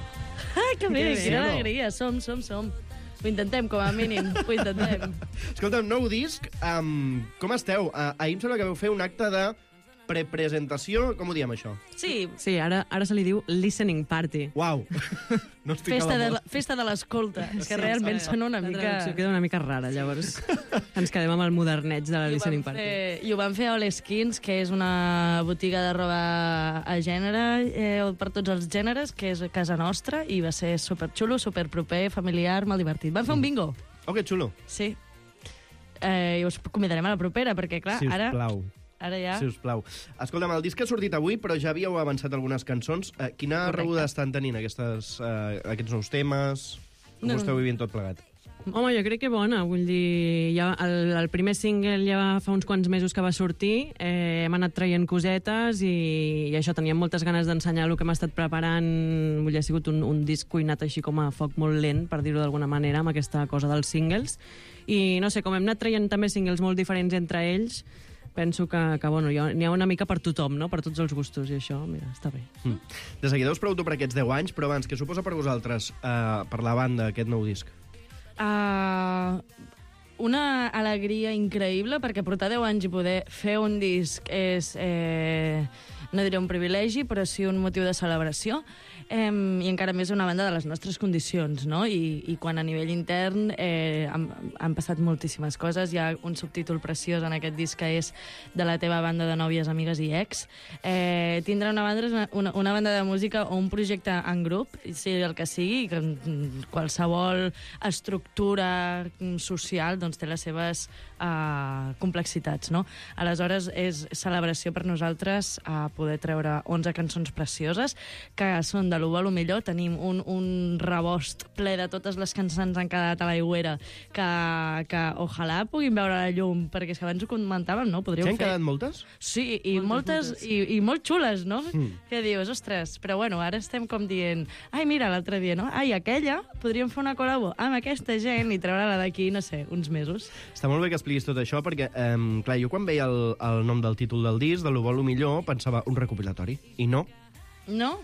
Speaker 9: Ai, que bé,
Speaker 16: Sí,
Speaker 9: quina
Speaker 16: no?
Speaker 9: alegria. Som, som, som. Ho intentem, com a mínim. Ho intentem.
Speaker 16: Escolta, un nou disc, um, com esteu? Uh, ahir em sembla que vau fer un acte de prepresentació, com ho diem, això?
Speaker 9: Sí.
Speaker 17: Sí, ara, ara se li diu listening party.
Speaker 16: Uau! No estic
Speaker 9: Festa
Speaker 16: a la
Speaker 9: de,
Speaker 16: mode.
Speaker 9: la, festa de l'escolta, que
Speaker 17: Sí,
Speaker 9: realment
Speaker 17: sí.
Speaker 9: sona una
Speaker 17: La
Speaker 9: mica...
Speaker 17: traducció queda una mica rara, llavors ens quedem amb el moderneig de la
Speaker 9: I ho
Speaker 17: listening
Speaker 9: vam
Speaker 17: party.
Speaker 9: fer- I ho van fer a All Skins, que és una botiga de roba a gènere, eh, per tots els gèneres, que és a casa nostra, i va ser superxulo, superproper, familiar, molt divertit. Van fer un bingo.
Speaker 16: Oh, que xulo.
Speaker 9: Sí. Eh, I us convidarem a la propera, perquè, clar,
Speaker 16: Si us
Speaker 9: ara...
Speaker 16: plau.
Speaker 9: Ara ja...
Speaker 16: Si us plau. Escolta'm, el disc ha sortit avui, però ja havíeu avançat algunes cançons. Eh, quina
Speaker 17: Correcte.
Speaker 16: rebuda estan tenint aquestes, eh, aquests nous temes? Com
Speaker 17: No,
Speaker 16: ho esteu
Speaker 17: no.
Speaker 16: vivint tot plegat?
Speaker 17: Home, jo crec que bona, vull dir, ja el, el primer single ja fa uns quants mesos que va sortir, eh, hem anat traient cosetes i, i això, teníem moltes ganes d'ensenyar el que hem estat preparant, vull dir, ha sigut un, un disc cuinat així com a foc molt lent, per dir-ho d'alguna manera, amb aquesta cosa dels singles, i no sé, com hem anat traient també singles molt diferents entre ells, penso que, que bueno, n'hi ha una mica per tothom, no? Per tots els gustos, i això, mira, està bé.
Speaker 16: Mm. De seguida us pregunto per aquests deu anys, però abans, què suposa per vosaltres, eh, per la banda, aquest nou disc?
Speaker 9: Uh, una alegria increïble, perquè portar deu anys i poder fer un disc és, eh, no diré un privilegi, però sí un motiu de celebració, eh, i encara més una banda de les nostres condicions, no? I, i quan a nivell intern eh, han, han passat moltíssimes coses. Hi ha un subtítol preciós en aquest disc que és de la teva banda de nòvies, amigues i ex. Eh, tindre una banda, una, una banda de música o un projecte en grup, sigui el que sigui, que mm, qualsevol estructura social doncs, té les seves uh, complexitats, no? Aleshores, és celebració per nosaltres uh,
Speaker 18: poder treure onze cançons precioses, que són de l'u a lo millor. Tenim un, un rebost ple de totes les que ens han quedat a l'aigüera, que, que ojalà puguin veure la llum, perquè és que abans ho comentàvem, no? Podríeu
Speaker 16: S'hi han
Speaker 18: fer...
Speaker 16: quedat moltes?
Speaker 18: Sí, i moltes,
Speaker 16: moltes.
Speaker 18: I, i molt xules, no?
Speaker 16: Mm.
Speaker 18: Que dius, ostres, però bueno, ara estem com dient, ai, mira, l'altre dia, no? Ai, aquella, podríem fer una col·labo amb aquesta gent i treure-la d'aquí, no sé, uns mesos.
Speaker 16: Està molt bé que expliquis tot això, perquè, eh, clar, jo quan veia el, el nom del títol del disc, de l'Ho vol, lo millor, pensava un recopilatori. I no.
Speaker 18: No?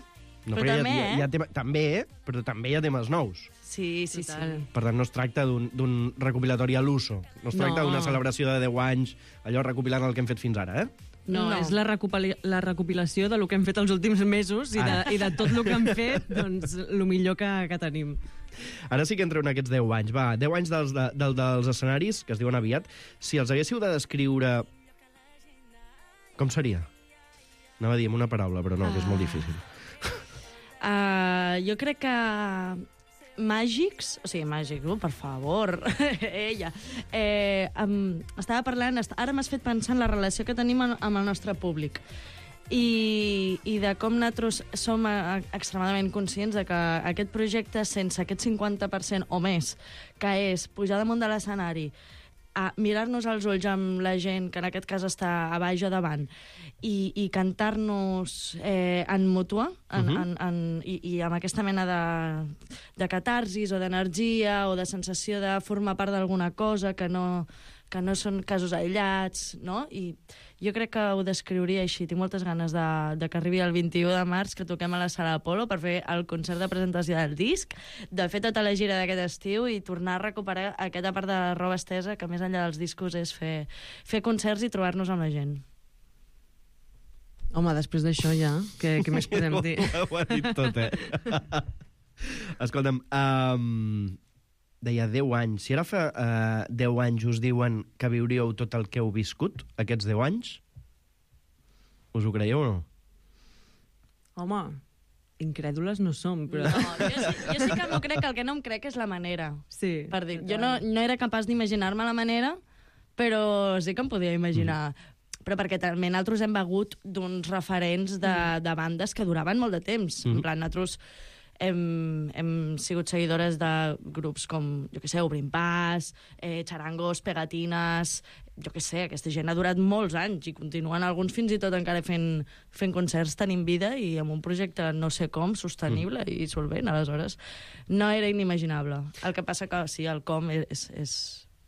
Speaker 16: No,
Speaker 18: però
Speaker 16: perquè
Speaker 18: també,
Speaker 16: hi ha, hi ha, hi ha
Speaker 18: eh?
Speaker 16: tema, també, però també hi ha temes nous.
Speaker 18: Sí, sí, sí.
Speaker 16: Per tant, no es tracta d'un recopilatori a l'uso. No es tracta
Speaker 18: No.
Speaker 16: d'una celebració de deu anys, allò recopilant el que hem fet fins ara, eh?
Speaker 17: No, no, és la, recopili la recopilació de lo que hem fet els últims mesos i de,
Speaker 16: Ara.
Speaker 17: i de tot el que hem fet, doncs, el millor que, que tenim.
Speaker 16: Ara sí que entreu en aquests deu anys. Va, deu anys dels, de, del, dels escenaris, que es diuen aviat. Si els haguéssiu de descriure... Com seria? Anava a dir amb una paraula, però no, que és molt difícil.
Speaker 18: Uh, jo crec que màgics, o sigui, màgics, oh, per favor, ella. Eh, um, estava parlant, est ara m'has fet pensar en la relació que tenim amb el nostre públic. I, i de com nosaltres som a, a, extremadament conscients de que aquest projecte, sense aquest cinquanta per cent o més, que és pujar damunt de l'escenari, a mirar-nos als ulls amb la gent, que en aquest cas està a baix o davant, i, i cantar-nos eh, en mútua, en,
Speaker 19: Mhm.
Speaker 18: en, en, i, i amb aquesta mena de, de catarsis o d'energia o de sensació de formar part d'alguna cosa que no, que no són casos aïllats, no? I jo crec que ho descriuria així. Tinc moltes ganes de, de que arribi el vint-i-u de març, que toquem a la Sala Apolo per fer el concert de presentació del disc, de fer tota la gira d'aquest estiu i tornar a recuperar aquesta part de la roba estesa, que més enllà dels discos és fer, fer concerts i trobar-nos amb la gent.
Speaker 17: Home, després d'això ja, què, què més podem dir?
Speaker 16: Ho ha dit tot, eh? Escolta'm, um, deia deu anys. Si ara fa uh, deu anys us diuen que viuríeu tot el que heu viscut, aquests deu anys, us ho creieu o no?
Speaker 17: Home, incrèdules no som, però...
Speaker 18: No, jo, sí, jo sí que m'ho crec, el que no em crec és la manera.
Speaker 17: Sí.
Speaker 18: Per dir, jo no, no era capaç d'imaginar-me la manera, però sí que em podia imaginar. Mm. Però perquè també nosaltres hem begut d'uns referents de, de bandes que duraven molt de temps. Mm. En plan, nosaltres hem, hem sigut seguidores de grups com, jo què sé, Obrim Pas, eh, Charangos, Pegatines... Jo què sé, aquesta gent ha durat molts anys i continuen alguns fins i tot encara fent, fent concerts, tenint vida i amb un projecte no sé com, sostenible mm. i solvent. Aleshores, no era inimaginable. El que passa que sí, el com és, és,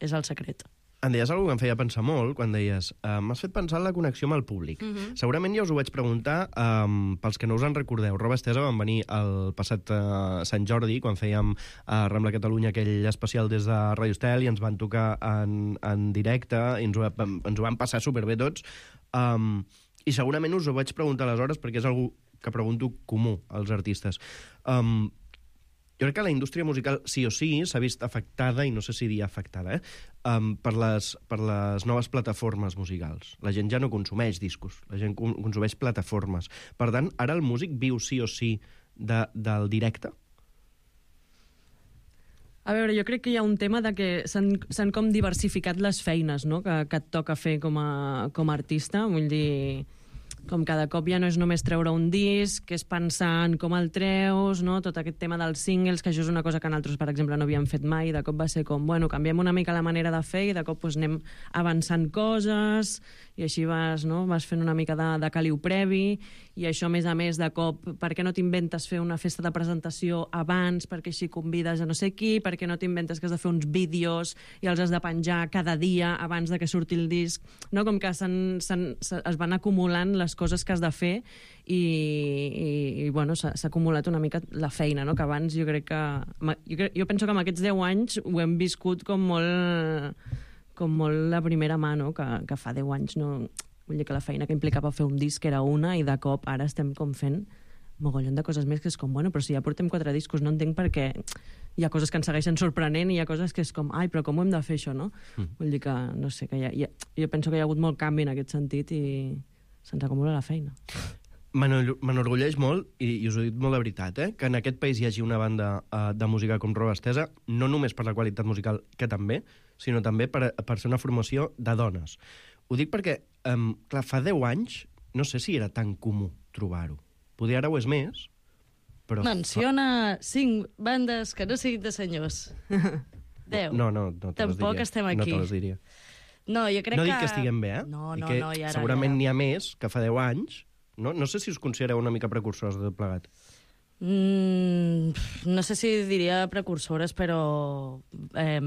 Speaker 18: és el secret.
Speaker 16: Em deies alguna que em feia pensar molt quan deies uh, m'has fet pensar en la connexió amb el públic.
Speaker 18: Mhm.
Speaker 16: Segurament ja us ho vaig preguntar um, pels que no us en recordeu. Roba Estesa van venir el passat uh, Sant Jordi, quan fèiem a uh, Rambla Catalunya aquell especial des de Radio Estel i ens van tocar en, en directe i ens ho, ens ho van passar superbé tots. Um, I segurament us ho vaig preguntar aleshores perquè és algú que pregunto comú als artistes. Um, Jo crec que la indústria musical sí o sí s'ha vist afectada, i no sé si dir afectada, eh? um, per, les, per les noves plataformes musicals. La gent ja no consumeix discos, la gent consumeix plataformes. Per tant, ara el músic viu sí o sí de, del directe?
Speaker 17: A veure, jo crec que hi ha un tema de que s'han com diversificat les feines, no?, que, que et toca fer com a, com a artista. Vull dir, com cada cop ja no és només treure un disc, que és pensar en com el treus, no? Tot aquest tema dels singles, que això és una cosa que nosaltres, per exemple, no havíem fet mai, i de cop va ser com, bueno, canviem una mica la manera de fer i de cop pues, anem avançant coses, i així vas, no? vas fent una mica de, de caliu previ, i això, a més a més, de cop, per què no t'inventes fer una festa de presentació abans, perquè així convides a no sé qui, per què no t'inventes que has de fer uns vídeos i els has de penjar cada dia abans de que surti el disc, no? Com que s'han, s'han, es van acumulant les coses que has de fer i, i, i bueno, s'ha acumulat una mica la feina, no? Que abans jo crec que... Jo, crec, jo penso que en aquests deu anys ho hem viscut com molt, com molt la primera mà, no? Que, que fa deu anys no... Vull dir que la feina que implicava fer un disc era una i de cop ara estem com fent mogollon de coses més que és com, bueno, però si ja portem quatre discos, no entenc per què hi ha coses que ens segueixen sorprenent i hi ha coses que és com, ai, però com ho hem de fer això, no? Mm. Vull dir que, no sé, que hi ha, hi ha, jo penso que hi ha hagut molt canvi en aquest sentit i se'ns acumula la feina.
Speaker 16: M'enorgulleix molt, i, i us ho he dit molt de veritat, eh, que en aquest país hi hagi una banda uh, de música com Roba Estesa, no només per la qualitat musical, que també, sinó també per, per ser una formació de dones. Ho dic perquè, um, clar, fa deu anys no sé si era tan comú trobar-ho. Poder ara ho és més, però...
Speaker 18: Menciona cinc bandes que no siguin de senyors. Deu.
Speaker 16: No, no, no te les diria.
Speaker 18: Tampoc estem aquí.
Speaker 16: No te les diria.
Speaker 18: No, jo crec
Speaker 16: no
Speaker 18: que...
Speaker 16: dic que estiguem bé, eh?
Speaker 18: No,
Speaker 16: I
Speaker 18: no,
Speaker 16: que
Speaker 18: no, i ara...
Speaker 16: segurament
Speaker 18: ja...
Speaker 16: n'hi ha més que fa deu anys. No, no sé si us considereu una mica precursors de tot plegat.
Speaker 18: Mm, no sé si diria precursores, però... Eh...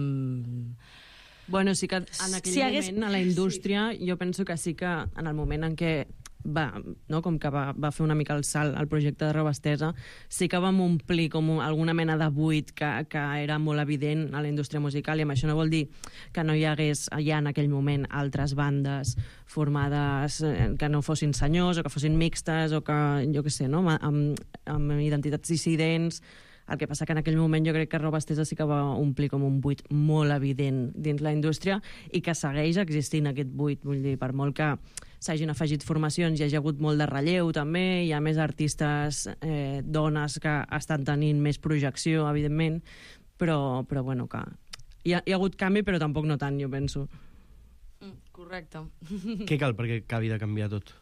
Speaker 17: Bueno, sí que en aquell
Speaker 18: si
Speaker 17: moment,
Speaker 18: hagués...
Speaker 17: a la indústria, sí. Jo penso que sí que en el moment en què va, no, com que va, va fer una mica el salt al projecte de Roba Estesa, sí que vam omplir com alguna mena de buit que, que era molt evident a la indústria musical, i amb això no vol dir que no hi hagués ja en aquell moment altres bandes formades que no fossin senyors o que fossin mixtes o que, jo què sé, no, amb, amb identitats dissidents. El que passa que en aquell moment jo crec que Roba Estesa sí que va omplir com un buit molt evident dins la indústria i que segueix existint aquest buit. Vull dir, per molt que s'hagin afegit formacions, hi ha hagut molt de relleu també, hi ha més artistes eh, dones que estan tenint més projecció, evidentment, però, però bueno, que hi ha, hi ha hagut canvi, però tampoc no tant, jo penso.
Speaker 18: Mm, correcte.
Speaker 16: Què cal perquè acabi de canviar tot?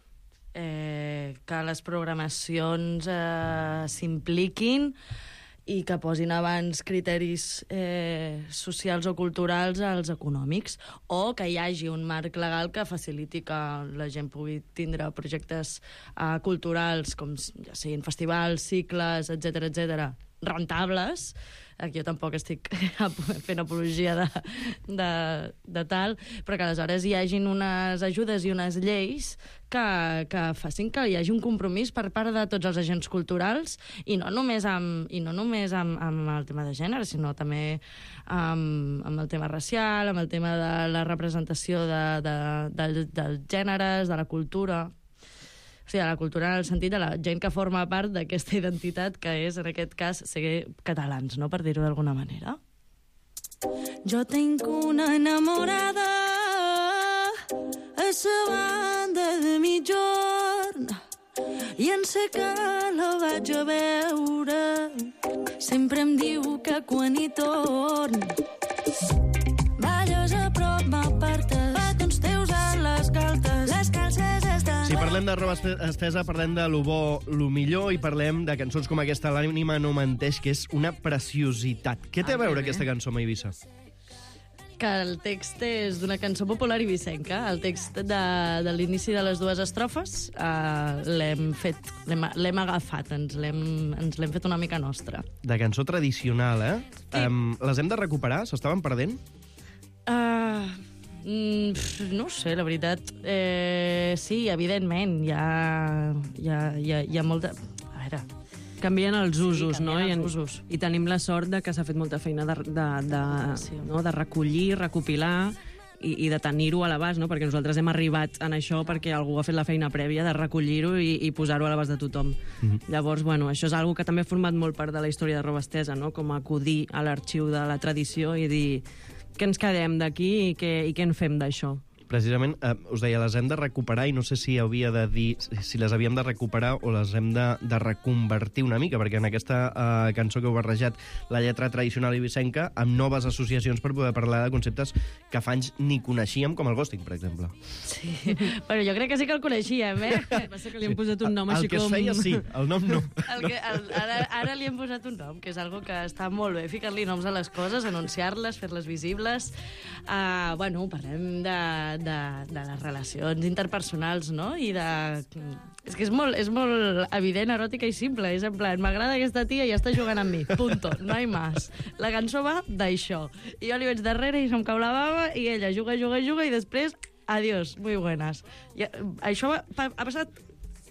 Speaker 18: Eh, que les programacions eh, s'impliquin i que posin abans criteris eh, socials o culturals als econòmics, o que hi hagi un marc legal que faciliti que la gent pugui tindre projectes eh, culturals, com ja siguin festivals, cicles, etcètera, etcètera, rentables. Aquí jo tampoc estic fent apologia de, de, de tal, però que aleshores hi hagin unes ajudes i unes lleis que, que facin que hi hagi un compromís per part de tots els agents culturals, i no només amb, i no només amb, amb el tema de gènere, sinó també amb, amb el tema racial, amb el tema de la representació de, de, de, dels gèneres, de la cultura... O sigui, la cultura en el sentit de la gent que forma part d'aquesta identitat que és, en aquest cas, ser catalans, no?, per dir-ho d'alguna manera.
Speaker 15: Jo tinc una enamorada a sa banda de mitjorn i en sé que la vaig a veure. Sempre em diu que quan hi torn balles a prop m'apartes, petons teus a les galtes, les calces estan...
Speaker 16: Si parlem de Roba Estesa, parlem de lo bo, lo millor, i parlem de cançons com aquesta, L'ànima no menteix, que és una preciositat. Què té a veure aquesta cançó amb Eivissa?
Speaker 18: Que el text és d'una cançó popular ibicenca. El text de, de l'inici de les dues estrofes uh, l'hem fet, l'hem agafat, ens l'hem, ens l'hem fet una mica nostra.
Speaker 16: De cançó tradicional, eh?
Speaker 18: Sí.
Speaker 16: Um, les hem de recuperar? S'estaven perdent?
Speaker 18: Uh, mm, no ho sé, la veritat. Eh, sí, evidentment, hi ha, hi ha, hi ha, hi ha molta... A veure...
Speaker 17: Canvien els usos,
Speaker 18: sí,
Speaker 17: no? I, en,
Speaker 18: usos.
Speaker 17: I tenim la sort de que s'ha fet molta feina de, de, de, sí. no? de recollir, recopilar i, i de tenir-ho a l'abast, no? Perquè nosaltres hem arribat en això perquè algú ha fet la feina prèvia de recollir-ho i, i posar-ho a l'abast de tothom. Mm-hmm. Llavors, bueno, això és una que també ha format molt part de la història de Roba Estesa, no? Com acudir a l'arxiu de la tradició i dir què ens quedem d'aquí i, què, i què en fem d'això.
Speaker 16: Precisament, eh, us deia, les hem de recuperar i no sé si havia de dir si les havíem de recuperar o les hem de, de reconvertir una mica, perquè en aquesta eh, cançó que heu barrejat la lletra tradicional ibicenca amb noves associacions per poder parlar de conceptes que fa anys ni coneixíem, com el ghosting, per exemple.
Speaker 18: Sí, però jo crec que sí que el coneixíem, eh?
Speaker 17: El que passa que li hem posat un nom
Speaker 16: el,
Speaker 17: així
Speaker 16: el que
Speaker 17: com...
Speaker 16: es feia, sí, el nom no.
Speaker 18: El que, el, ara, ara li hem posat un nom, que és algo que està molt bé, ficar-li noms a les coses, anunciar-les, fer-les visibles. Uh, bueno, parlem de, de, de les relacions interpersonals, no? I de... És que és molt, és molt evident, eròtica i simple. És en plan, m'agrada aquesta tia i ja està jugant amb mi. Punto. No hi más. La cançó va d'això. I jo li veig darrere i se'm cau la bava i ella juga, juga, juga i després, adiós, muy buenas. I, això va, ha passat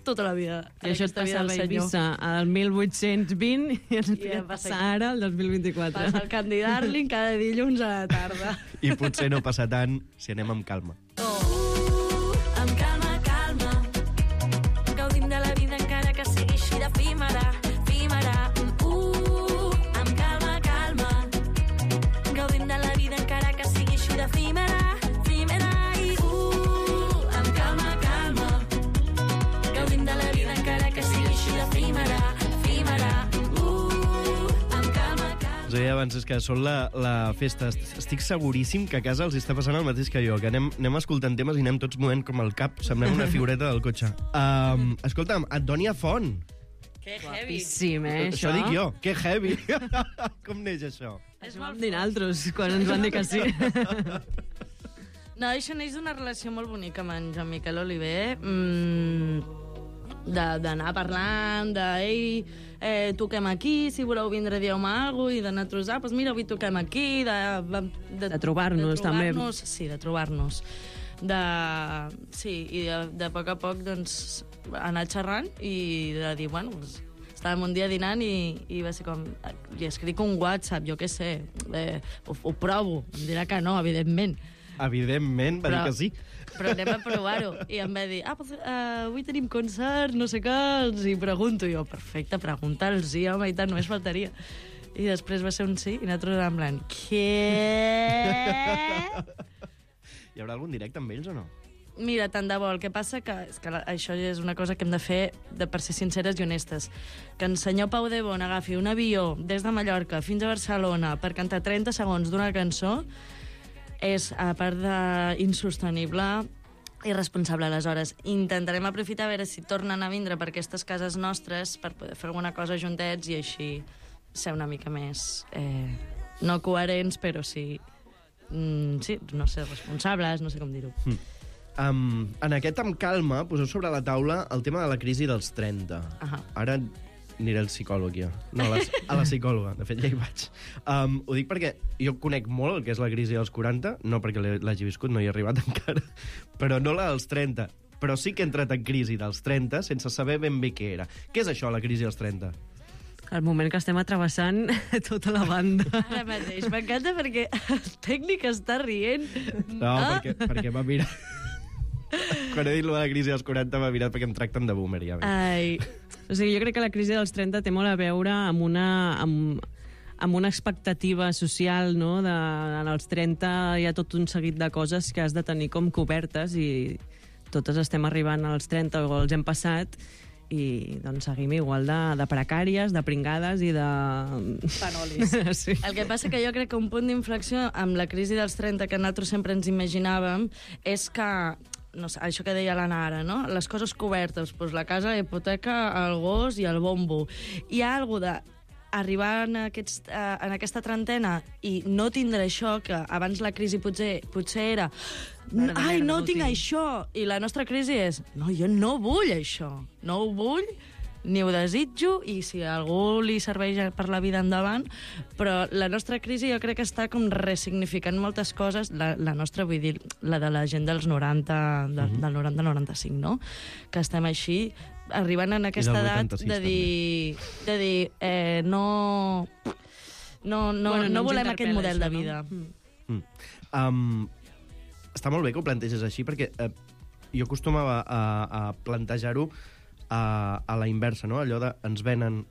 Speaker 18: tota la vida.
Speaker 17: I això et passa a Eivissa al mil vuit-cents vint i ens I passa ara al dos mil vint-i-quatre.
Speaker 18: Passa el Candy Darling cada dilluns a la tarda.
Speaker 16: I potser no passa tant si anem amb calma.
Speaker 15: Amb calma, calma, gaudim de la vida encara que sigui així d'efímera, efímera. Uh, amb calma, calma, gaudim de la vida encara que sigui així d'efímera, efímera. I uh, amb calma, calma, gaudim de la vida encara que sigui així d'efímera, efímera. Uh, amb calma, calma.
Speaker 16: Us deia abans, és que són la, la festa. Estic seguríssim que a casa els està passant el mateix que jo, que anem, anem escoltant temes i anem tots movent com el cap. Semblem una figureta del cotxe. Um, escolta'm, Antònia Font.
Speaker 18: Que heavy.
Speaker 17: Guapíssim, eh,
Speaker 16: Això
Speaker 17: això?
Speaker 16: dic jo, que heavy. Com neix això?
Speaker 17: Això vam dir naltros quan ens van dir que sí.
Speaker 18: No, això neix d'una relació molt bonica amb en Joan Miquel Oliver. Mm, d'anar parlant, de, ei, eh, toquem aquí, si voleu vindre dieu-me alguna cosa, i d'anar a trosar, doncs mira, avui toquem aquí, de...
Speaker 17: De, de trobar-nos, també.
Speaker 18: Sí, de trobar-nos. De, sí, i de, de poc a poc, doncs, anar xerrant i de dir, bueno, doncs, estàvem un dia dinant i, i va ser com... Li escric un WhatsApp, jo què sé, eh, ho, ho provo, em dirà que no, evidentment.
Speaker 16: Evidentment, va
Speaker 18: Però-
Speaker 16: dir que sí.
Speaker 18: Però anem a provar-ho. I em va dir, ah, pues, uh, avui tenim concert, no sé què, els hi pregunto. I jo, perfecte, pregunta'ls, sí, home, i tant, només faltaria. I després va ser un sí, i nosaltres en plan, què?
Speaker 16: Hi haurà algun directe amb ells o no?
Speaker 18: Mira, tant de bo. El que passa que, és que la, això és una cosa que hem de fer de, per ser sinceres i honestes. Que en senyor Pau de Bon agafi un avió des de Mallorca fins a Barcelona per cantar trenta segons d'una cançó és, a part d'insostenible, irresponsable. Aleshores, intentarem aprofitar a veure si tornen a vindre per aquestes cases nostres per poder fer alguna cosa juntets i així ser una mica més, eh, no coherents, però sí, mm, sí, no sé, responsables, no sé com dir-ho.
Speaker 16: Mm. Um, en aquest Amb calma poseu sobre la taula el tema de la crisi dels trenta.
Speaker 18: Ahà.
Speaker 16: Ara aniré al psicòleg, ja. No, a la, a la psicòloga. De fet, ja hi vaig. Um, ho dic perquè jo conec molt el que és la crisi dels quaranta, no perquè l'he- l'hagi viscut, no hi he arribat encara, però no la dels trenta. Però sí que he entrat en crisi dels trenta sense saber ben bé què era. Què és això, la crisi dels trenta?
Speaker 17: El moment que estem atrevessant tota la banda.
Speaker 18: Ara mateix. M'encanta perquè el tècnic està rient.
Speaker 16: No,
Speaker 18: Ah.
Speaker 16: perquè, perquè m'ha mirat... Quan he dit lo de la crisi dels quaranta m'ha mirat perquè em tracten de boomer, ja.
Speaker 18: Ai.
Speaker 17: O sigui, jo crec que la crisi dels trenta té molt a veure amb una, amb, amb una expectativa social, no? De, en els trenta hi ha tot un seguit de coses que has de tenir com cobertes i totes estem arribant als trenta o els hem passat i doncs seguim igual de, de precàries, de pringades i de...
Speaker 18: Panolis.
Speaker 17: Sí.
Speaker 18: El que passa que jo crec que un punt d'inflexió amb la crisi dels trenta que nosaltres sempre ens imaginàvem és que, no sé, això que deia l'Anna ara, no? Les coses cobertes, doncs la casa, la hipoteca, el gos i el bombo. Hi ha alguna de arribar en, aquests, eh, en aquesta trentena i no tindre això, que abans la crisi potser, potser era
Speaker 17: Mare de
Speaker 18: ai,
Speaker 17: merda,
Speaker 18: no
Speaker 17: no ho
Speaker 18: tinc
Speaker 17: tinc."
Speaker 18: això, i la nostra crisi és no, jo no vull això, no ho vull, ni ho desitjo, i si a algú li serveix per la vida endavant, però la nostra crisi jo crec que està com ressignificant moltes coses, la, la nostra, vull dir, la de la gent dels noranta, de,
Speaker 16: Mhm.
Speaker 18: del noranta noranta cinc, no? Que estem així, arribant en aquesta
Speaker 16: del
Speaker 18: edat
Speaker 16: vuitanta-sis,
Speaker 18: de dir, de dir eh, no, no, no,
Speaker 17: Bueno, no
Speaker 18: no
Speaker 17: ens
Speaker 18: volem aquest
Speaker 17: interpel·la
Speaker 18: model de
Speaker 17: això, no?
Speaker 18: vida.
Speaker 16: Mm. Um, està molt bé que ho planteges així, perquè eh, jo acostumava a, a plantejar-ho a, a la inversa, no? Allò de ens venen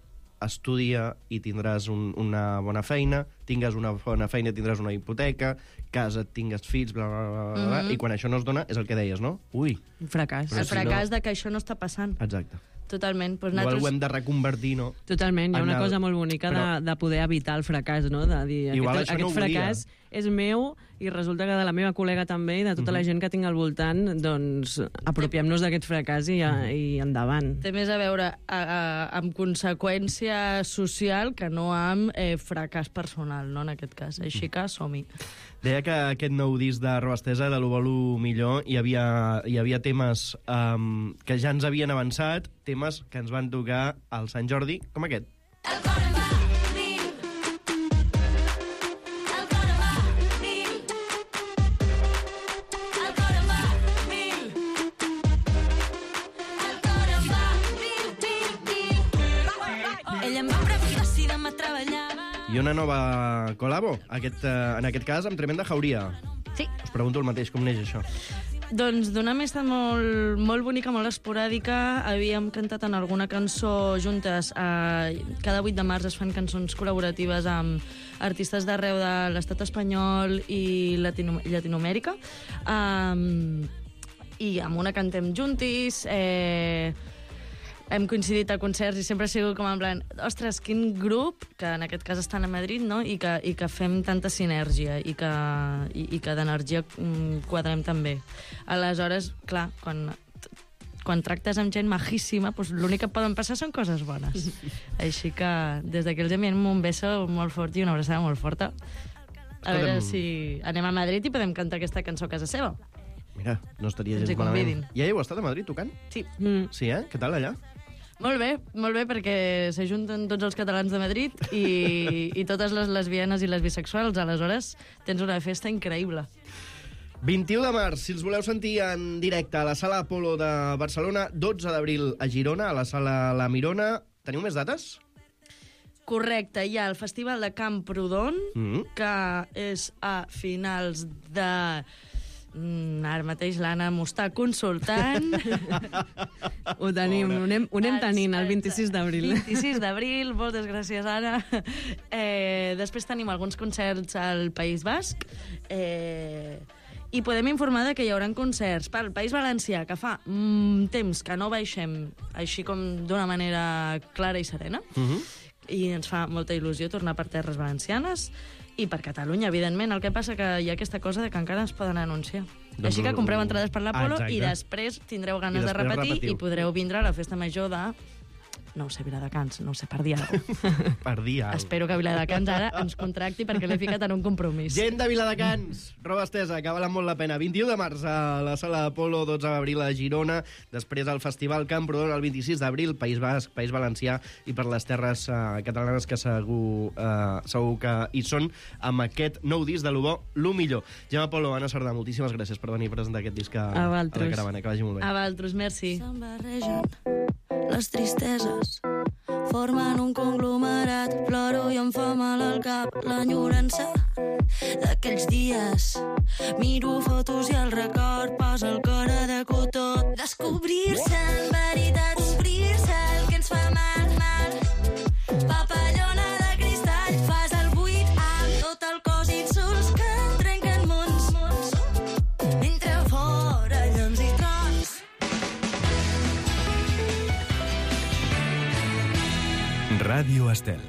Speaker 16: estudia i tindràs un, una bona feina, tingues una bona feina i tindràs una hipoteca, casa, tingues fills, bla, bla, bla, bla, bla,
Speaker 18: Mhm.
Speaker 16: i quan això no es dona és el que deies, no? Ui.
Speaker 17: Un fracàs.
Speaker 16: Però
Speaker 18: El
Speaker 16: si
Speaker 18: fracàs
Speaker 16: no-
Speaker 18: de que això no està passant.
Speaker 16: Exacte.
Speaker 18: Totalment. Pues
Speaker 16: Igual
Speaker 18: nosaltres...
Speaker 16: ho hem de reconvertir, no?
Speaker 17: Totalment, hi ha
Speaker 16: En
Speaker 17: una
Speaker 16: el-
Speaker 17: cosa molt bonica
Speaker 16: però-
Speaker 17: de, de poder evitar el fracàs, no? De dir,
Speaker 16: Igual
Speaker 17: aquest,
Speaker 16: això no
Speaker 17: aquest
Speaker 16: ho volia.
Speaker 17: fracàs és meu i resulta que de la meva col·lega també i de tota la gent que tinc al voltant, doncs apropiem-nos d'aquest fracàs i, i endavant.
Speaker 18: Té més a veure a, a, amb conseqüència social que no amb eh, fracàs personal, no, en aquest cas. Així que som-hi.
Speaker 16: Deia que aquest nou disc de Roba Estesa, de l'Ho Volo Millor, hi havia, hi havia temes um, que ja ens havien avançat, temes que ens van tocar al Sant Jordi, com aquest.
Speaker 15: Ella em va preguntar si demà treballava.
Speaker 16: I una nova col·labo, aquest, uh, en aquest cas amb Tremenda Jauria.
Speaker 18: Sí.
Speaker 16: Us pregunto el mateix, com neix això?
Speaker 18: Doncs d'una amistat molt, molt bonica, molt esporàdica. Havíem cantat en alguna cançó juntes. Eh, cada vuit de març es fan cançons col·laboratives amb artistes d'arreu de l'estat espanyol i Latino, Llatinoamèrica. Um, I amb una cantem juntis. Eh, hem coincidit a concerts i sempre ha sigut com en plan, ostres, quin grup, que en aquest cas estan a Madrid, no? I que, i que fem tanta sinergia i que, i, i que d'energia quadrem també. Aleshores, clar, quan, quan tractes amb gent majíssima, doncs l'únic que poden passar són coses bones. Així que des d'aquí els enviem un beso molt fort i una abraçada molt forta. A veure si anem a Madrid i podem cantar aquesta cançó a casa seva.
Speaker 16: Mira, no estaria
Speaker 18: Ens
Speaker 16: gens
Speaker 18: hi convidin.
Speaker 16: malament. Ja heu estat a Madrid tocant?
Speaker 18: Sí.
Speaker 17: Mm.
Speaker 16: Sí, eh? Què tal allà?
Speaker 18: Molt bé, molt bé, perquè s'ajunten tots els catalans de Madrid i, i totes les lesbianes i les bisexuals. Aleshores, tens una festa increïble.
Speaker 16: vint-i-u de març, si els voleu sentir en directe a la Sala Apolo de Barcelona, dotze d'abril a Girona, a la Sala La Mirona. Teniu més dates?
Speaker 18: Correcte, hi ha el Festival de Camprodon,
Speaker 16: Mm.
Speaker 18: que és a finals de... Mm, ara mateix l'Anna m'ho està consultant.
Speaker 17: Ho tenim, ho anem, ho anem tenint el vint-i-sis d'abril.
Speaker 18: vint-i-sis d'abril, moltes gràcies, Anna. Eh, després tenim alguns concerts al País Basc. Eh, I podem informar de que hi haurà concerts pel País Valencià, que fa mm, temps que no baixem així com d'una manera clara i serena.
Speaker 16: Mhm.
Speaker 18: I ens fa molta il·lusió tornar per terres valencianes i per Catalunya, evidentment. El que passa que hi ha aquesta cosa de que encara ens poden anunciar.
Speaker 16: Doncs
Speaker 18: Així que compreu entrades per l'Apolo
Speaker 16: Exacte.
Speaker 18: i després tindreu ganes
Speaker 16: I
Speaker 18: de
Speaker 16: després
Speaker 18: repetir
Speaker 16: repetiu.
Speaker 18: i podreu vindre a la festa major de... No ho sé, Viladecans, no ho sé, per dir alguna cosa.
Speaker 16: Per dir alguna cosa.
Speaker 18: Espero que Viladecans ara ens contracti perquè l'he ficat en un compromís.
Speaker 16: Gent de Viladecans, roba estesa, que valen molt la pena. vint-i-u de març a la Sala Apolo, dotze d'abril a Girona, després al Festival Camprodon el vint-i-sis d'abril, País Basc, País Valencià, i per les terres uh, catalanes que segur, uh, segur que hi són, amb aquest nou disc de lo bo, lo millor. Gemma Polo, Anna Sardà, moltíssimes gràcies per venir a presentar aquest disc a,
Speaker 18: A
Speaker 16: a
Speaker 18: vosaltres.
Speaker 16: la caravana. Que vagi molt bé.
Speaker 18: A vosaltres, merci.
Speaker 15: Se'n barregen les tristeses, formen un conglomerat, ploro i em fa mal al cap l'enyorança d'aquells dies. Miro fotos i el record posa el cor a de cotó. Descobrir-se en veritat, omplir-se el que ens fa mal, mal. Papallona de cristall, fas el buit amb tot el cos, insults que trenquen mons. Mentre fora llums i trons.
Speaker 1: Ràdio Estel.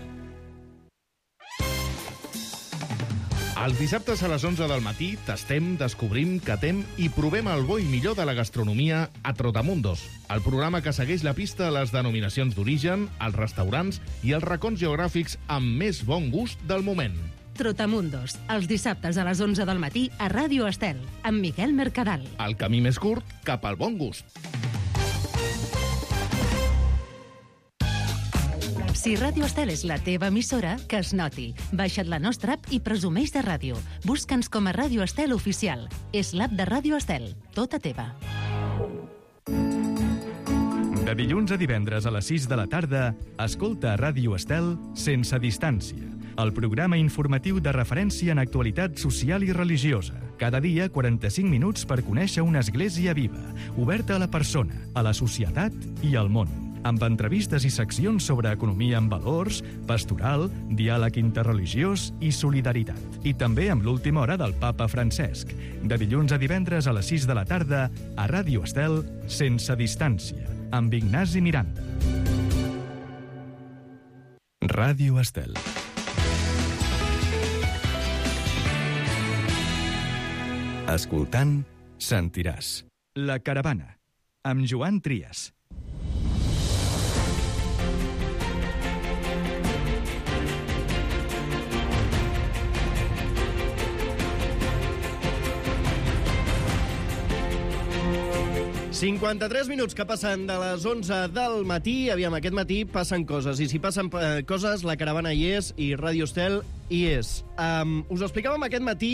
Speaker 19: Els dissabtes a les onze del matí tastem, descobrim, catem i provem el bo i millor de la gastronomia a Trotamundos, el programa que segueix la pista a les denominacions d'origen, els restaurants i els racons geogràfics amb més bon gust del moment.
Speaker 6: Trotamundos, els dissabtes a les onze del matí a Ràdio Estel, amb Miquel Mercadal.
Speaker 19: El camí més curt cap al bon gust.
Speaker 6: Si Ràdio Estel és la teva emissora, que es noti. Baixa't la nostra app i presumeix de ràdio. Busca'ns com a Ràdio Estel Oficial. És l'app de Ràdio Estel, tota teva.
Speaker 1: De dilluns a divendres a les sis de la tarda, escolta a Ràdio Estel Sense Distància, el programa informatiu de referència en actualitat social i religiosa. Cada dia, quaranta-cinc minuts per conèixer una església viva, oberta a la persona, a la societat i al món. Amb entrevistes i seccions sobre economia amb valors, pastoral, diàleg interreligiós i solidaritat. I també amb l'última hora del papa Francesc. De dilluns a divendres a les sis de la tarda, a Ràdio Estel, Sense Distància, amb Ignasi Miranda. Ràdio Estel. Escoltant, sentiràs. La Caravana, amb Joan Trias.
Speaker 16: cinquanta-tres minuts que passen de les onze del matí. Aviam, aquest matí passen coses. I si passen eh, coses, la caravana hi és i Ràdio Estel hi és. Um, us ho explicàvem aquest matí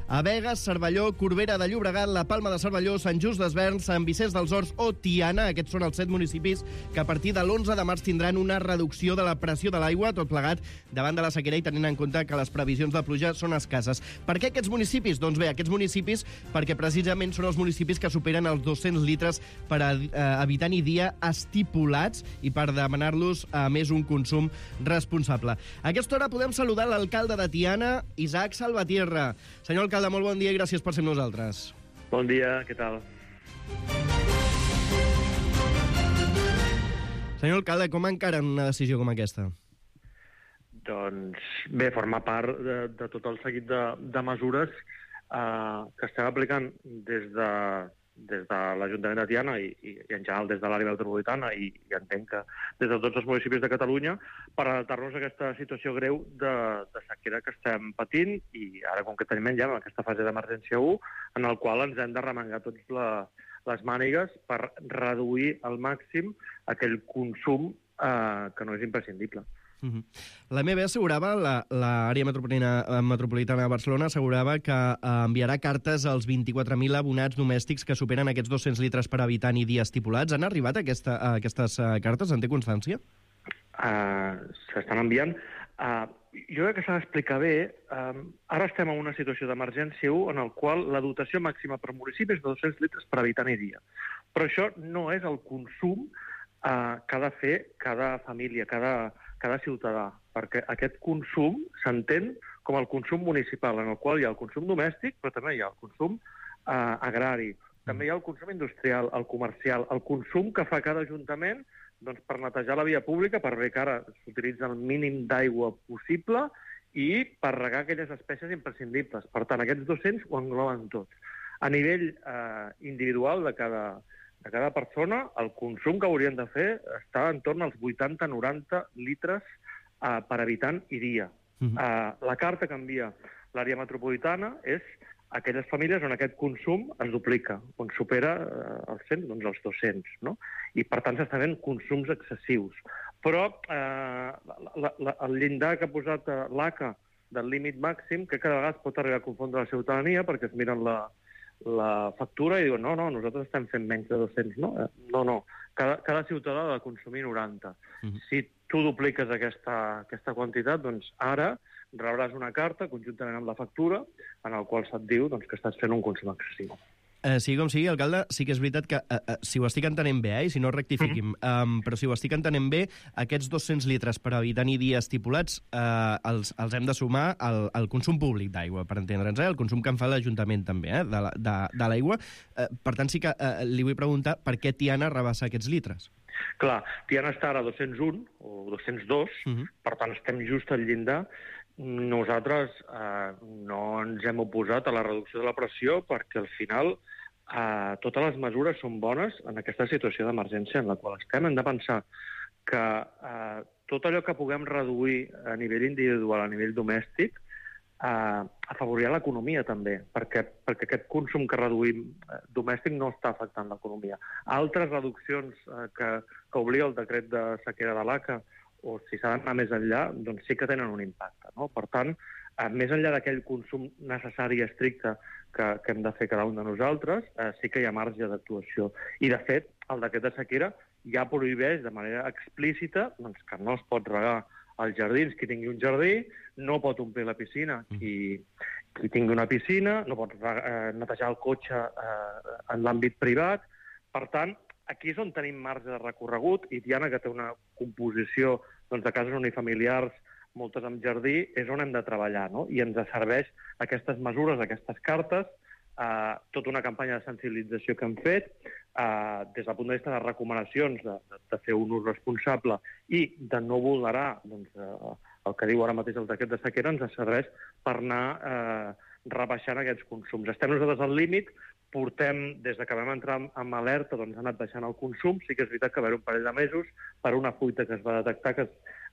Speaker 16: a Begues, Cervelló, Corbera de Llobregat, la Palma de Cervelló, Sant Just desvern, Sant Vicenç dels Horts o Tiana. Aquests són els set municipis que a partir de l'onze de març tindran una reducció de la pressió de l'aigua, tot plegat davant de la sequera i tenint en compte que les previsions de pluja són escasses. Per què aquests municipis? Doncs bé, aquests municipis perquè precisament són els municipis que superen els dos-cents litres per a, eh, habitant i dia estipulats i per demanar-los a més un consum responsable. A aquesta hora podem saludar l'alcalde de Tiana, Isaac Salvatierra. Senyor alcalde, molt bon dia i gràcies per ser amb nosaltres.
Speaker 20: Bon dia, què tal?
Speaker 16: Senyor alcalde, com encaren una decisió com aquesta?
Speaker 20: Doncs bé, forma part de, de tot el seguit de, de mesures eh, que estem aplicant des de, des de l'Ajuntament de Tiana i, i, i en general des de l'àrea metropolitana i, i entenc que des de tots els municipis de Catalunya per adaptar-nos a aquesta situació greu de, de sequera que estem patint i ara concretament ja en aquesta fase d'emergència u en el qual ens hem de remengar tots la, les mànigues per reduir al màxim aquell consum eh, que no és imprescindible.
Speaker 16: Uh-huh. La M B assegurava, l'àrea metropolitana, metropolitana de Barcelona assegurava que eh, enviarà cartes als vint-i-quatre mil abonats domèstics que superen aquests dos-cents litres per habitant i dia estipulats. Han arribat aquesta, a aquestes uh, cartes? En té constància?
Speaker 20: Uh, S'estan enviant. Uh, jo crec que s'ha d'explicar bé. Uh, ara estem en una situació d'emergència u en el qual la dotació màxima per municipi és de dos-cents litres per habitant i dia. Però això no és el consum uh, que ha de fer cada família, cada cada ciutadà, perquè aquest consum s'entén com el consum municipal, en el qual hi ha el consum domèstic, però també hi ha el consum eh, agrari, també hi ha el consum industrial, el comercial, el consum que fa cada ajuntament doncs, per netejar la via pública, per bé que ara s'utilitza el mínim d'aigua possible i per regar aquelles espècies imprescindibles. Per tant, aquests dos-cents ho engloben tot. A nivell eh, individual de cada de cada persona, el consum que haurien de fer està en torn als vuitanta a noranta litres uh, per habitant i dia. Uh-huh. Uh, la carta que envia l'àrea metropolitana és aquelles famílies on aquest consum es duplica, on supera uh, els cent, doncs els dos-cents, no? I per tant s'estan fent consums excessius. Però uh, la, la, el llindar que ha posat uh, l'A C A del límit màxim, que cada vegada pot arribar a confondre la ciutadania perquè es miren la la factura i diuen, no, no, nosaltres estem fent menys de dos-cents. No, no, no. Cada, cada ciutadà ha de consumir noranta. Uh-huh. Si tu dupliques aquesta, aquesta quantitat, doncs ara rebràs una carta conjuntament amb la factura en el qual se't diu doncs, que estàs fent un consum excessiu.
Speaker 16: Eh, sigui com sigui, alcalde, sí que és veritat que, eh, eh, si ho estic entenent bé, eh, i si no rectifiquim, mm-hmm. um, però si ho estic entenent bé, aquests dos-cents litres per habitant i dia estipulats eh, els, els hem de sumar al, al consum públic d'aigua, per entendre'ns, eh, el consum que en fa l'Ajuntament també, eh, de, de, de l'aigua. Eh, per tant, sí que eh, li vull preguntar per què Tiana rebassa aquests litres.
Speaker 20: Clar, Tiana està ara a dos-cents un o dos-cents dos, mm-hmm. per tant estem just al llindar. Nosaltres eh, no ens hem oposat a la reducció de la pressió perquè al final eh, totes les mesures són bones en aquesta situació d'emergència en la qual estem. Hem de pensar que eh, tot allò que puguem reduir a nivell individual, a nivell domèstic, eh, afavorirà l'economia també, perquè, perquè aquest consum que reduïm eh, domèstic no està afectant l'economia. Altres reduccions eh, que, que obliga el decret de sequera de l'A C A o si s'ha d'anar més enllà, doncs sí que tenen un impacte. No? Per tant, eh, més enllà d'aquell consum necessari i estricte que, que hem de fer cada un de nosaltres, eh, sí que hi ha marge d'actuació. I, de fet, el decret de sequera ja prohibeix de manera explícita doncs, que no es pot regar als jardins qui tingui un jardí, no pot omplir la piscina qui, qui tingui una piscina, no pot eh, netejar el cotxe eh, en l'àmbit privat. Per tant, aquí és on tenim marge de recorregut i Tiana, que té una composició doncs, de cases unifamiliars, moltes amb jardí, és on hem de treballar, no? I ens serveix aquestes mesures, aquestes cartes, eh, tota una campanya de sensibilització que hem fet, eh, des del punt de vista de recomanacions de, de, de fer un ús responsable i de no vulnerar doncs, eh, el que diu ara mateix el decret de sequera, ens serveix per anar eh, rebaixant aquests consums. Estem nosaltres al límit, portem, des que vam entrar amb alerta, doncs ha anat baixant el consum. Sí que és veritat que va haver un parell de mesos per una fuita que es va detectar que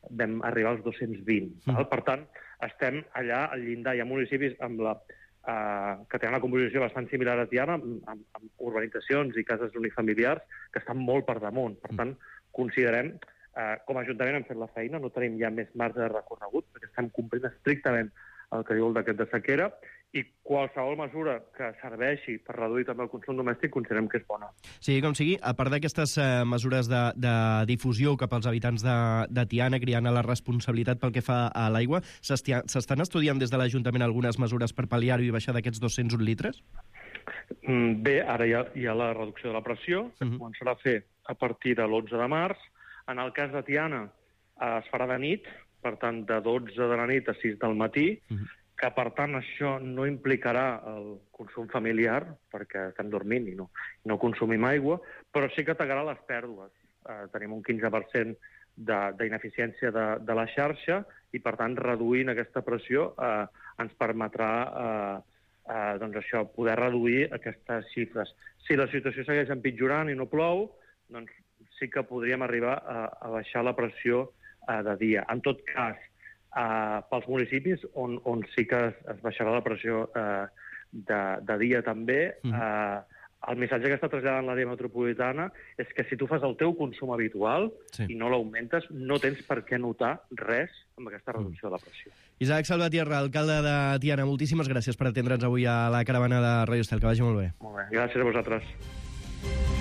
Speaker 20: vam arribar als dos-cents vint. Mm. Val? Per tant, estem allà al llindar. Hi ha municipis amb la, eh, que tenen una composició bastant similar a Tiana, amb, amb, amb urbanitzacions i cases unifamiliars que estan molt per damunt. Per tant, considerem, eh, com a Ajuntament hem fet la feina, no tenim ja més marge de recorregut, perquè estem complint estrictament el que diu el decret de sequera, i qualsevol mesura que serveixi per reduir també el consum domèstic considerem que és bona.
Speaker 16: Sí, com sigui, a part d'aquestes eh, mesures de, de difusió cap als habitants de, de Tiana, criant a la responsabilitat pel que fa a l'aigua, s'estan estudiant des de l'Ajuntament algunes mesures per pal·liar-ho i baixar d'aquests dos-cents un litres?
Speaker 20: Mm, bé, ara hi ha, hi ha la reducció de la pressió, que uh-huh. començarà a fer a partir de l'onze de març. En el cas de Tiana eh, es farà de nit, per tant, de dotze de la nit a sis del matí, uh-huh. que per tant això no implicarà el consum familiar, perquè estem dormint i no, no consumim aigua, però sí que tagarà les pèrdues. eh, tenim un quinze per cent d'ineficiència de, de la xarxa i, per tant, reduint aquesta pressió eh, ens permetrà eh, eh, doncs això, poder reduir aquestes xifres. Si la situació segueix empitjorant i no plou, doncs sí que podríem arribar a, a baixar la pressió eh, de dia. En tot cas, eh, pels municipis on, on sí que es, es baixarà la pressió eh, de, de dia també, mm. eh, el missatge que està traslladant l'àrea metropolitana és que si tu fas el teu consum habitual sí. i no l'augmentes, no tens per què notar res amb aquesta reducció de la pressió.
Speaker 16: Isaac Salvatierra, alcalde de Tiana, moltíssimes gràcies per atendre'ns avui a la caravana de Ràdio Estel. Que vagi molt bé.
Speaker 20: Molt bé, gràcies a vosaltres.